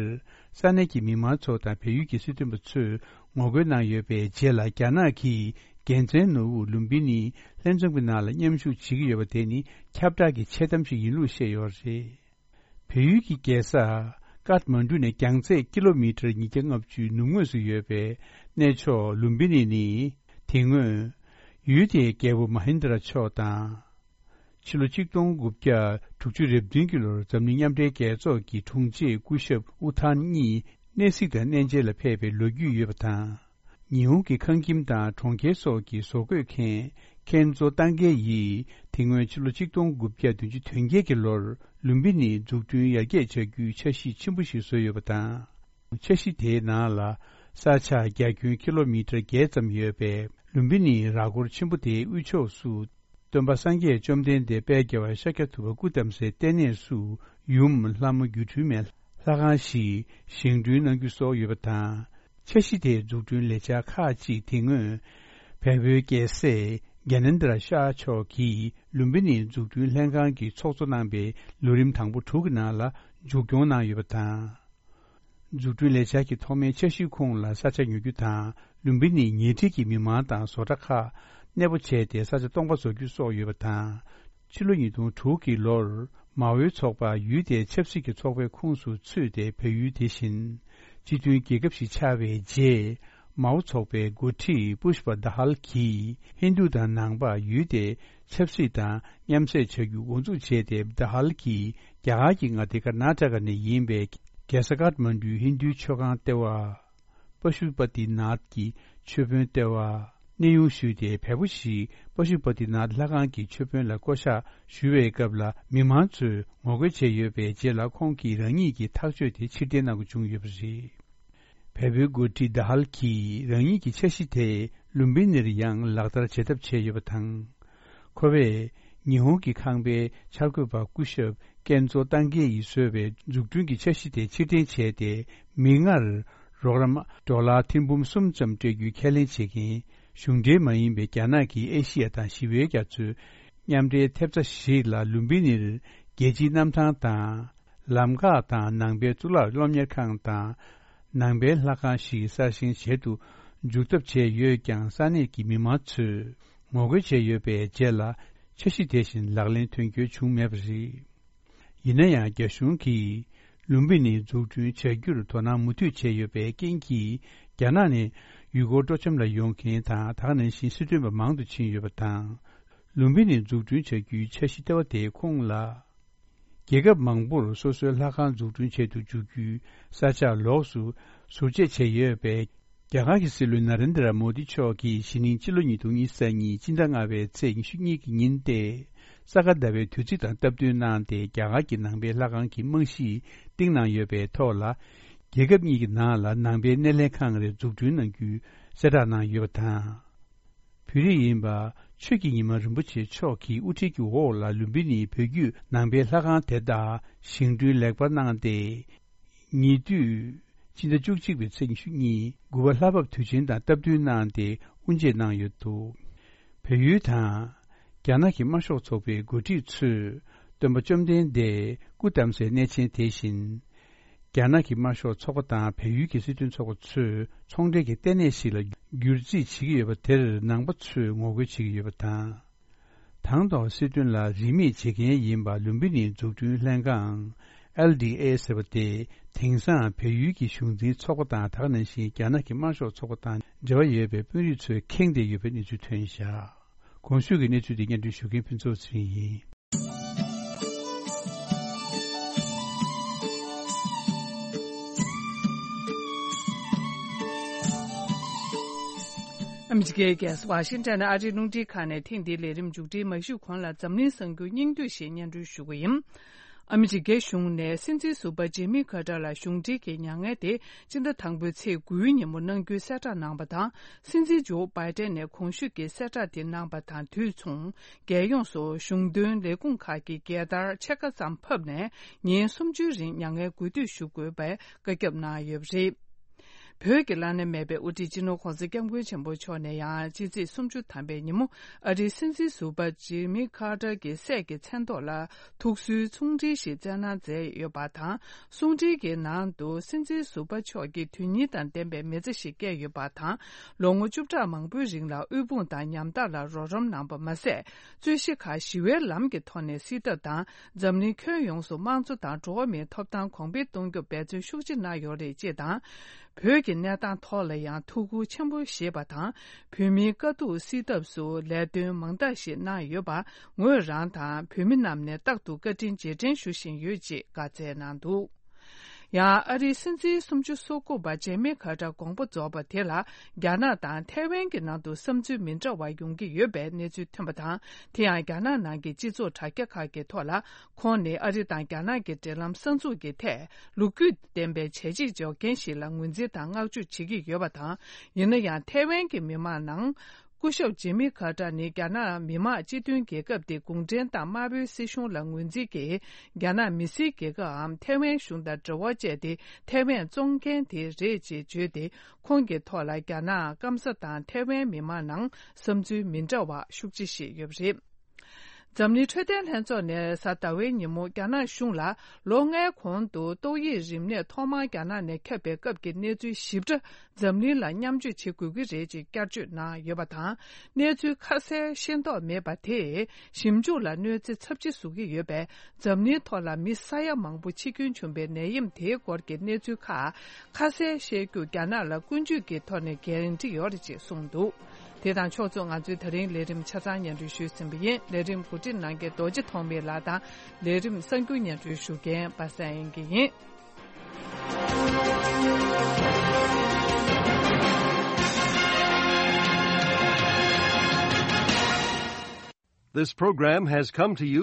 ས་གནས་ཀྱི་མི་མང་ཚོ་དང་བལ་ཡུལ་གྱི་སྲིད་དོན་པ་ཚོས་ངོ་རྒོལ་གནང་ཡོད་པའི་རྗེས་ལ། རྒྱ་ནག་གིས་རྒྱལ་མཚན་ནོར་བུ་ལུམ་བི་ནིའི་ལྷན་འཛོམས་ཀྱི་ནང་ལ་མཉམ་ཞུགས་བྱེད་ཀྱི་ཡོད་པ་དེ་ནི་ཁྱབ་བསྒྲགས་ཀྱི་འཆལ་གཏམ་ཞིག་ཡིན་ལུགས་བཤད་ཡོད་རེད། བལ་ཡུལ་གྱི་རྒྱལ་ས་ཀཏ་མན་ཌུ་ནས་རྒྱང་ཚད་ཀི་ལོ་མི་ཊར་ཉིས་བརྒྱ་ལྔ་བཅུའི་ནུབ་ངོས་སུ་ཡོད་པའི་གནས་མཆོག་ལུམ་བི་ནི་ནི། དེ་སྔོན་ཡུལ་དེའི་རྒྱལ་པོ་མ་ཧིན་དྲ་མཆོག་དང་། ཕྱི་ལོ་ཆིག་སྟོང་དགུ་བརྒྱ་དྲུག་ཅུ་རེ་བདུན་གྱི་ལོར་འཛམ་གླིང་མཉམ་འབྲེལ་རྒྱལ་ཚོགས་ཀྱི་དྲུང་ཆེ་སྐུ་ཞབས་ཨུ་ཐན་གཉིས་གནས་གཟིགས་དང་གནས་མཇལ་ལ་ཕེབས་པའི་ལོ་རྒྱུས་ཡོད་པ་དང་། ཉི་ཧོང་གི་ཁང་ཁྱིམ་དང་གྲོང་ཁྱེར་སོགས་ཀྱི་བཟོ་བཀོད་མཁན་ཁེན་ཛོ་ཏང་གེ་ཡིས། དེ་སྔོན་ཕྱི་ལོ་ཆིག་སྟོང་དགུ་བརྒྱ་བདུན་ཅུ་དོན་བརྒྱད་ཀྱི་ལོར་ལུམ་བི་ནིའི་འཛུགས་སྐྲུན་ཡར་རྒྱས་བྱ་རྒྱུའི་འཆར་གཞི་ཆེན་པོ་ཞིག་བཟོས་ཡོད་པ་དང་། འཆར་གཞི་དེའི་ནང་ལ། ས་ཆ་རྒྱ་ཁྱོན་ཀི་ལོ་མི་ཊར་བརྒྱད་ཙམ་ཡོད་པའི་ལུམ་བི་ནིའི་ར་སྐོར་ཆེན་པོ་དེའི་དབུས་ཕྱོགས་སུ། སྟོན་པ་སངས་རྒྱས་བཅོམ་ལྡན་འདས་དཔལ་རྒྱལ་བ་ཤཱཀྱ་ཐུབ་པ་སྐུ་བལྟམས་སའི་ལྟེ་གནས་སུ་ཡུམ་ལྷ་མོ་སྒྱུ་འཕྲུལ་མའི་ལྷ་ཁང་ཞིག་བཞེངས་སྐྲུན་གནང་རྒྱུ་སོགས་ཡོད་པ་དང་། འཆར་གཞི་དེའི་འཛུགས་སྐྲུན་ལས་འཆར་ཁག་ཅིག་དེ་སྔོན་བལ་པོའི་རྒྱལ་སྲས་གྱ་ནེན་དྲ་ཤཱ་མཆོག་གིས་ལུམ་བི་ནིའི་འཛུགས་སྐྲུན་ལྷན་ཁང་གི་ཚོགས་གཙོ་གནང་པའི་ལོ་རིམ་དང་པོ་དྲུག་གི་ནང་ལ་མཇུག་སྐྱོང་གནང་ཡོད་པ་དང་། འཛུགས་སྐྲུན་ལས་འཆར་གྱི་ཐོག་མའི་འཆར་གཞིའི་ཁོངས་ལ་ས་ཆ་ཉོ་རྒྱུ་དང་། ལུམ་བི་ནིའི་ཉེ་འཁྲིས་ཀྱི་མི་མང་དང་བཟོ་གྲྭ་ཁག་གནས་སྤོ་བྱས་ཏེ་ས་ཆ་སྟོང་པ་བཟོ་རྒྱུ་སོགས་ཡོད་པ་དང་། ཕྱི་ལོ་ཉིས་སྟོང་དྲུག་གི་ལོར་མའོའི་ཚོགས་པ་ཡུལ་དེའི་ཆབ་སྲིད་ཀྱི་ཚོགས་པའི་ཁོངས་སུ་ཚུད་དེ། བལ་ཡུལ་དེ་བཞིན་སྤྱི་མཐུན་རྒྱལ་ཁབ་ཞིག་ཆགས་པའི་རྗེས། མའོ་ཚོགས་པའི་འགོ་ཁྲིད་པུཤ་པ་དཱ་ཧལ་གྱིས་ཧིན་རྡུ་དང་ནང་པ་ཡུལ་དེའི་ཆབ་སྲིད་དང་མཉམ་བསྲེས་བྱ་རྒྱུ་འགོ་འཛུགས་བྱས་ཏེ། དཱ་ཧལ་གྱིས་རྒྱ་གར་གྱི་མངའ་སྡེ་ཀར་ནཱ་ཊ་ཀ་ནས་ཡིན་པའི་རྒྱལ་ས་ཀཏ་མན་ཌུའི་ཧིན་རྡུའི་མཆོད་ཁང་ལྟེ་བ། པ་ཤུ་པ་ཏི་ནཱཐ་ཀྱི་མཆོད་དཔོན་ལྟེ་བ། གནས་དབྱུང་ཞུས་ཏེ། བལ་པོ་ཞིག་པ་ཤུ་པ་ཏི་ནཱཐ་ལྷ་ཁང་གི་མཆོད་དཔོན་ལ་བསྐོ་བཞག་ཞུ་བའི་སྐབས་ལ། མི་མང་ཚོས་ངོ་རྒོལ་བྱས་ཡོད་པའི་རྗེས་ལ། ཁོང་གིས་རང་ཉིད་ཀྱི་ཐག་གཅོད་དེ་ཕྱིར་འཐེན་གནང་དགོས་བྱུང་ཡོད་པ་རེད། བལ་པོའི་འགོ་ཁྲིད་དཱ་ཧལ་གྱིས་རང་ཉིད་ཀྱི་འཆར་གཞི་དེ་ལུམ་བི་ནིར་ཡང་ལག་བསྟར་བྱེད་ཐབས་བྱས་ཡོད་པ་དང་། ཁོ་བས་ཉི་ཧོང་གི་ཁང་པའི་འཆར་འགོད་པ་སྐུ་ཞབས་ཀེན་ཛོ་ཏང་ཀེ་ཡིས་བཟོས་པའི་འཛུགས་སྐྲུན་གྱི་འཆར་གཞི་དེ་ཕྱིར་འཐེན་བྱས་ཏེ། མིག་སྔར་རོགས་རམ་ཌོ་ལར་ཐེར་འབུམ་གསུམ་ཙམ་སྤྲད་རྒྱུའི་ཁས་ལེན་བྱེད་མཁན་གཞུང་འབྲེལ་མ་ཡིན་པའི་རྒྱ་ནག་གི་ཨེ་ཤི་ཡ་དང་ཞི་བའི་རྒྱ་མཚོའི་མཉམ་འབྲེལ་ཐེབས་རྩ་ཞིག་ལ། ལུམ་བི་ནིར་རྒྱལ་སྤྱིའི་གནམ་ཐང་དང་། ལམ་འགག་དང་། ནང་པའི་གཙུག་ལག་སློབ་གཉེར་ཁང་དང་། ནང་པའི་ལྷ་ཁང་ཞིག་གསར་བཞེངས་བྱེད་དུ་འཇུག་ཐབས་བྱས་ཡོད་ཀྱང་། ས་གནས་ཀྱི་མི་མང་ཚོས་ངོ་རྒོལ་བྱས་ཡོད་པའི་རྗེས་ལ། འཆར་གཞི་དེ་བཞིན་ལག་ལེན་དོན་འཁྱོལ་བྱུང་མེད་པ་རེད། ཡིན་ན་ཡང་། རྒྱ་གཞུང་གིས་ལུམ་བི་ནི་འཛུགས་སྐྲུན་བྱ་རྒྱུར་དོ་སྣང་མུ་མཐུད་བྱས་ཡོད་པའི་རྐྱེན་གྱིས། རྒྱ་ནག་ནས་ཡུལ་སྐོར་སྤྲོ་འཆམ་ལ་ཡོང་མཁན་དང་། དེ་ནང་བཞིན་སྲིད་དོན་པ་མང་དུ་ཕྱིན་ཡོད་པ་དང་། ལུམ་བི་ནི་འཛུགས་སྐྲུན་བྱ་རྒྱུའི་འཆར་གཞི་ལྟེ་བ་དེའི་ཁོངས་ལ། རྒྱལ་ཁབ་མང་པོར་སོ་སོའི་ལྷ་ཁང་འཛུགས་སྐྲུན་བྱེད་དུ་འཇུག་རྒྱུའི་ས་ཆ་ལོགས་སུ་ཟུར་བཅད་བྱས་ཡོད་པས། རྒྱ་གར་གྱི་སྲིད་བློན་ན་རེན་དྲ་མོ་དི་མཆོག་གིས་གཞེས་ནིང་སྤྱི་ལོ་ཉིས་སྟོང་ཉི་ཤུ་རྩ་གཉིས་སྤྱི་ཟླ་ལྔ་པའི་ཚེས་ཉི་ཤུ་གཉིས་ཀྱི་ཉིན་ཏེ། ས་ག་ཟླ་བའི་དུས་ཚིགས་དང་སྟབས་བསྟུན་གནང་སྟེ། རྒྱ་གར་གྱི་ནང་པའི་ལྷ་ཁང་གི་རྨང་གཞི་བཏིང་གནང་ཡོད་པའི་ཐོག་ལ། རྒྱལ་ཁབ་གཉིས་ཀྱི་ནང་ལ་ནང་པའི་སྣེ་ལེན་ཁང་རེ་འཛུགས་སྐྲུན་གནང་རྒྱུའི་གསལ་བསྒྲགས་གནང་ཡོད་པ་དང་། བོད་རིགས་ཡིན་པ་ཆོས་ཀྱི་ཉི་མ་རིན་པོ་ཆེ་མཆོག་གི་དབུ་ཁྲིད་ཀྱི་འོག་ལ། ལུམ་བི་ནིའི་བོད་བརྒྱུད་ནང་པའི་ལྷ་ཁང་དེ་དག་བཞེངས་སྐྲུན་ལེགས་པར་གནང་སྟེ། ཉེ་དུས་སྤྱི་ཟླ་བཅུ་གཅིག་པའི་ཚེས་ཉི་ཤུ་གཉིས། དགུ་པ་ལྷ་བབས་དུས་ཆེན་དང་སྟབས་བསྟུན་གནང་སྟེ་དབུ་འབྱེད་གནང་ཡོད་འདུག་བལ་ཡུལ་དང་རྒྱ་ནག་གི་དམར་ཤོག་ཚོགས་པའི་འགོ་ཁྲིད་ཚོས་སྟོན་པ་བཅོམ་ལྡན་འདས་སྐུ་བལྟམས་སའི་གནས་ཆེན་དེ་བཞིན། རྒྱ་ནག་གི་དམར་ཤོག་ཚོགས་པ་དང་བལ་ཡུལ་གྱི་སྲིད་དོན་ཚོགས་པ་ཚོས་ཚོང་འབྲེལ་གྱི་ལྟེ་གནས་ཤིག་ལ་བསྒྱུར་རྩིས་བྱེད་ཀྱི་ཡོད་པ་དེར་ནང་པ་ཚོས་ངོ་རྒོལ་བྱེད་ཀྱི་ཡོད་པ་དང་། དང་ཐོག་སྲིད་དོན་ལ་རིས་མེད་བྱེད་མཁན་ཡིན་པ་ལུམ་བི་ནིའི་འཛུགས་སྐྲུན་ལྷན་ཁང་། ཨེལ་ཌི་ཨེ་ཟེར་བ་དེ་དེང་སང་བལ་ཡུལ་གྱི་གཞུང་འཛིན་ཚོགས་པ་དང་། དེ་ནང་བཞིན་རྒྱ་ནག་གི་དམར་ཤོག་ཚོགས་པ་དང་འབྲེལ་བ་ཡོད་པའི་དཔོན་རིགས་ཚོས་ཁེངས་བསྡད་ཡོད་པའི་གནས་ཚུལ་ཐོན་བཞག་གོང་ཞུས་ཀྱི་གནས་ཚུལ་དེ་སྙན་སྒྲོན་ཞུ་མཁན་ཕུན་ཚོགས་ཚེ་རིང་ཡིན། ཨ་མི་རི་ཀའི་རྒྱལ་ས་ཝ་ཤིང་ཊོན་ཨ་རིའི་རླུང་འཕྲིན་ཁང་ནས་ཐེངས་འདིའི་ལས་རིམ་མཇུག་སྒྲིལ་མ་ཞུས་གོང་ལ། འཛམ་གླིང་གསར་འགྱུར་སྙིང་བསྡུས་ཤིག་སྙན་སྒྲོན་ཞུ་གི་ཡིན། ཨ་མི་རི་ཀའི་གཞུང་ནས་སྲིད་འཛིན་ཟུར་པ་ཇེ་མི་ཁ་ཏར་ལ་གཞུང་འབྲེལ་གྱི་མྱ་ངན་དེ་སྤྱི་ཟླ་དང་པོའི་ཚེས་དགུའི་ཉིན་མོ་གནང་རྒྱུའི་གསལ་བསྒྲགས་གནང་བ་དང་། སྲིད་འཛིན་ཇོ་བྷའི་ཏན་ནས་གོང་ཞུས་ཀྱི་གསལ་བསྒྲགས་དེ་གནང་བ་དང་དུས་མཚུངས། རྒྱལ་ཡོངས་སུ་གཞུང་དོན་ལས་ཁུངས་ཁག་གི་རྒྱལ་དར་ཕྱེད་ཀ་ཙམ་ཕབ་ནས། ཉིན་སུམ་ཅུའི་རིང་མྱ་ངན་གུས་འདུད་ཞུ་དགོས་པའི་བཀའ་ཁྱབ་གནང་ཡོད་པ་རེད། བོད་ཀྱི་བླ་ན་མེད་པའི་དབུ་ཁྲིད་སྤྱི་ནོར་༧གོང་ས་༧སྐྱབས་མགོན་ཆེན་པོ་མཆོག་ནས་ཡང་སྤྱི་ཚེས་སུམ་ཅུ་ཐམ་པའི་ཉིན་མོ། ཨ་རིའི་སྲིད་འཛིན་ཟུར་པ་ཇེ་མི་ཁ་ཏར་གྱི་སྲས་ཀྱི་མཚན་ཐོག་ལ་ཐུགས་གསོའི་གསུང་འཕྲིན་ཞིག་བསྩལ་གནང་མཛད་ཡོད་པ་དང་། གསུང་འཕྲིན་གྱི་ནང་དུ། སྲིད་འཛིན་ཟུར་པ་མཆོག་གིས་དོན་སྙིང་དང་ལྡན་པའི་མི་ཚེ་ཞིག་བསྐྱལ་ཡོད་པ་དང་། ལོ་ངོ་བཅུ་ཕྲག་མང་པོའི་རིང་ལ་དབུལ་ཕོངས་དང་ཉམ་ཐག་ལ་རོགས་རམ་གནང་པ་མ་ཟད། རྩོད་གཞི་ཁག་ཞི་བའི་ལམ་གྱི་ཐོག་ནས་སེལ་ཐབས་དང་། འཛམ་གླིང་ཁྱོན་ཡོངས་སུ་དམངས་གཙོ་དང་འགྲོ་བ་མིའི་ཐོབ་ཐང་གོང་འཕེལ་གཏོང་རྒྱུར་འབད་བརྩོན་ཤུགས་ཆེ་གནང་ཡོད་རེད་ཅེས་དང་། བོད་ཀྱི་གནས་སྟངས་ཐོག་ལ་ཡང་ཐུགས་ཁུར་ཆེན་པོ་བཞེས་པ་དང་། བོད་མིའི་དཀའ་སྡུག་སེལ་ཐབས་སུ་ལས་དོན་མང་དག་ཞིག་གནང་ཡོད་པར། ངོས་རང་དང་བོད་མི་རྣམས་ནས་རྟག་ཏུ་བཀའ་དྲིན་རྗེས་དྲན་ཞུ་བཞིན་ཡོད་ཅེས་བཀའ་སྩལ་གནང་འདུག་ཡང་ཨ་རིའི་སྲིད་འཛིན་སུམ་ཅུ་སོ་དགུ་པ་ཇེ་མི་ཁ་ཏར་དགོངས་པ་རྫོགས་པ་དེ་ལ། རྒྱ་ནག་དང་ཐའེ་ཝན་གྱི་ནང་དུ་བསམ་ཚུལ་མི་འདྲ་བ་ཡོང་གི་ཡོད་པའི་གནས་ཚུལ་ཐོན་པ་དང་། དེ་ཡང་རྒྱ་ནག་ནང་གི་སྤྱི་ཚོགས་དྲ་རྒྱ་ཁག་གི་ཐོག་ལ། ཁོང་ནི་ཨ་རི་དང་རྒྱ་ནག་གི་འབྲེལ་ལམ་གསར་འཛུགས་ཀྱི་ཐད་ལོ་རྒྱུས་ལྡན་པའི་བྱས་རྗེས་འཇོག་མཁན་ཞིག་ལ་ངོས་འཛིན་དང་བསྔགས་བརྗོད་བྱེད་ཀྱི་ཡོད་པ་དང་། ཡིན་ན་ཡང་ཐའེ་ཝན་གྱི་མི་མང་ནང་། སྐུ་ཞབས་ཇེ་མི་ཁ་ཏར་ནི་རྒྱ་ནག་མི་དམངས་སྤྱི་མཐུན་རྒྱལ་ཁབ་དེ་གུང་ཁྲན་ཏང་དམར་པོའི་སྲིད་གཞུང་ལ་ངོས་འཛིན་གྱིས། རྒྱ་ནག་མི་སེར་རྒྱལ་ཁབ་འམ་ཐའེ་ཝན་གཞུང་དང་འབྲེལ་བ་བཅད་དེ། ཐའེ་ཝན་བཙོང་མཁན་དེ་རེད་ཅེས་བརྗོད་དེ། ཁོང་གི་ཐོག་ལ་རྒྱ་ནག་སྐམ་ས་དང་ཐའེ་ཝན་མི་མང་ནང་བསམ་ཚུལ་མི་འདྲ་བ་ཤུགས་ཆེ་བཞེས་ཡོད་པ་རེད། འཛམ་གླིང་འཕྲོད་བསྟེན་ལྷན་ཚོགས་ནས་གཟའ་ཟླ་བའི་ཉིན་མོ་རྒྱ་ནག་གཞུང་ལ། ལོ་ལྔའི་གོང་དུ་ཏོག་དབྱིབས་རིམས་ནད་ཐོག་མར་རྒྱ་ནག་ནས་ཁྱབ་པའི་སྐབས་ཀྱི་གནས་ཚུལ་ཞིབ་ཕྲ། འཛམ་གླིང་ལ་མཉམ་སྤྱོད་བྱེད་དགོས་ཀྱི་རེད་ཅེས་བསྐྱར་བརྗོད་གནང་ཡོད་པ་དང་། གནས་ཚུལ་ཁ་གསལ་ཤེས་རྟོགས་མེད་པ་དེས་ཞིབ་འཇུག་ལ་གནོད་འཚེ་ཚབས་ཆེ་བཟོ་གི་ཡོད་པས། འཛམ་གླིང་ཐོག་ལ་མི་ས་ཡ་མང་པོ་འཆི་སྐྱོན་བྱུང་བའི་ནད་ཡམས་དེའི་སྐོར་གྱི་གནས་ཚུལ་ཁག་ཁ་གསལ་བཤད་རྒྱུ་རྒྱ་ནག་ལ་ཀུན་སྤྱོད་ཀྱི་ཐོག་ནས་འགན་འཁྲི་ཡོད་རེད་ཅེས་གསུངས་འདུག་དེ་དང་ཕྱོགས་མཚུངས། ང་ཚོའི་ད་རིང་ལས་རིམ་ཆ་ཚང་སྙན་སྒྲོན་ཞུས་ཟིན་པ་ཡིན། ལས་རིམ་གོ་སྒྲིག་གནང་མཁན་རྡོ་རྗེ་ཐོགས་མེད་ལགས་དང་། ལས་རིམ་གསར་འགྱུར་སྙན་སྒྲོན་ཞུ་མཁན་པ་སངས་དབྱངས་སྐྱིད་ཡིན། This program has come to you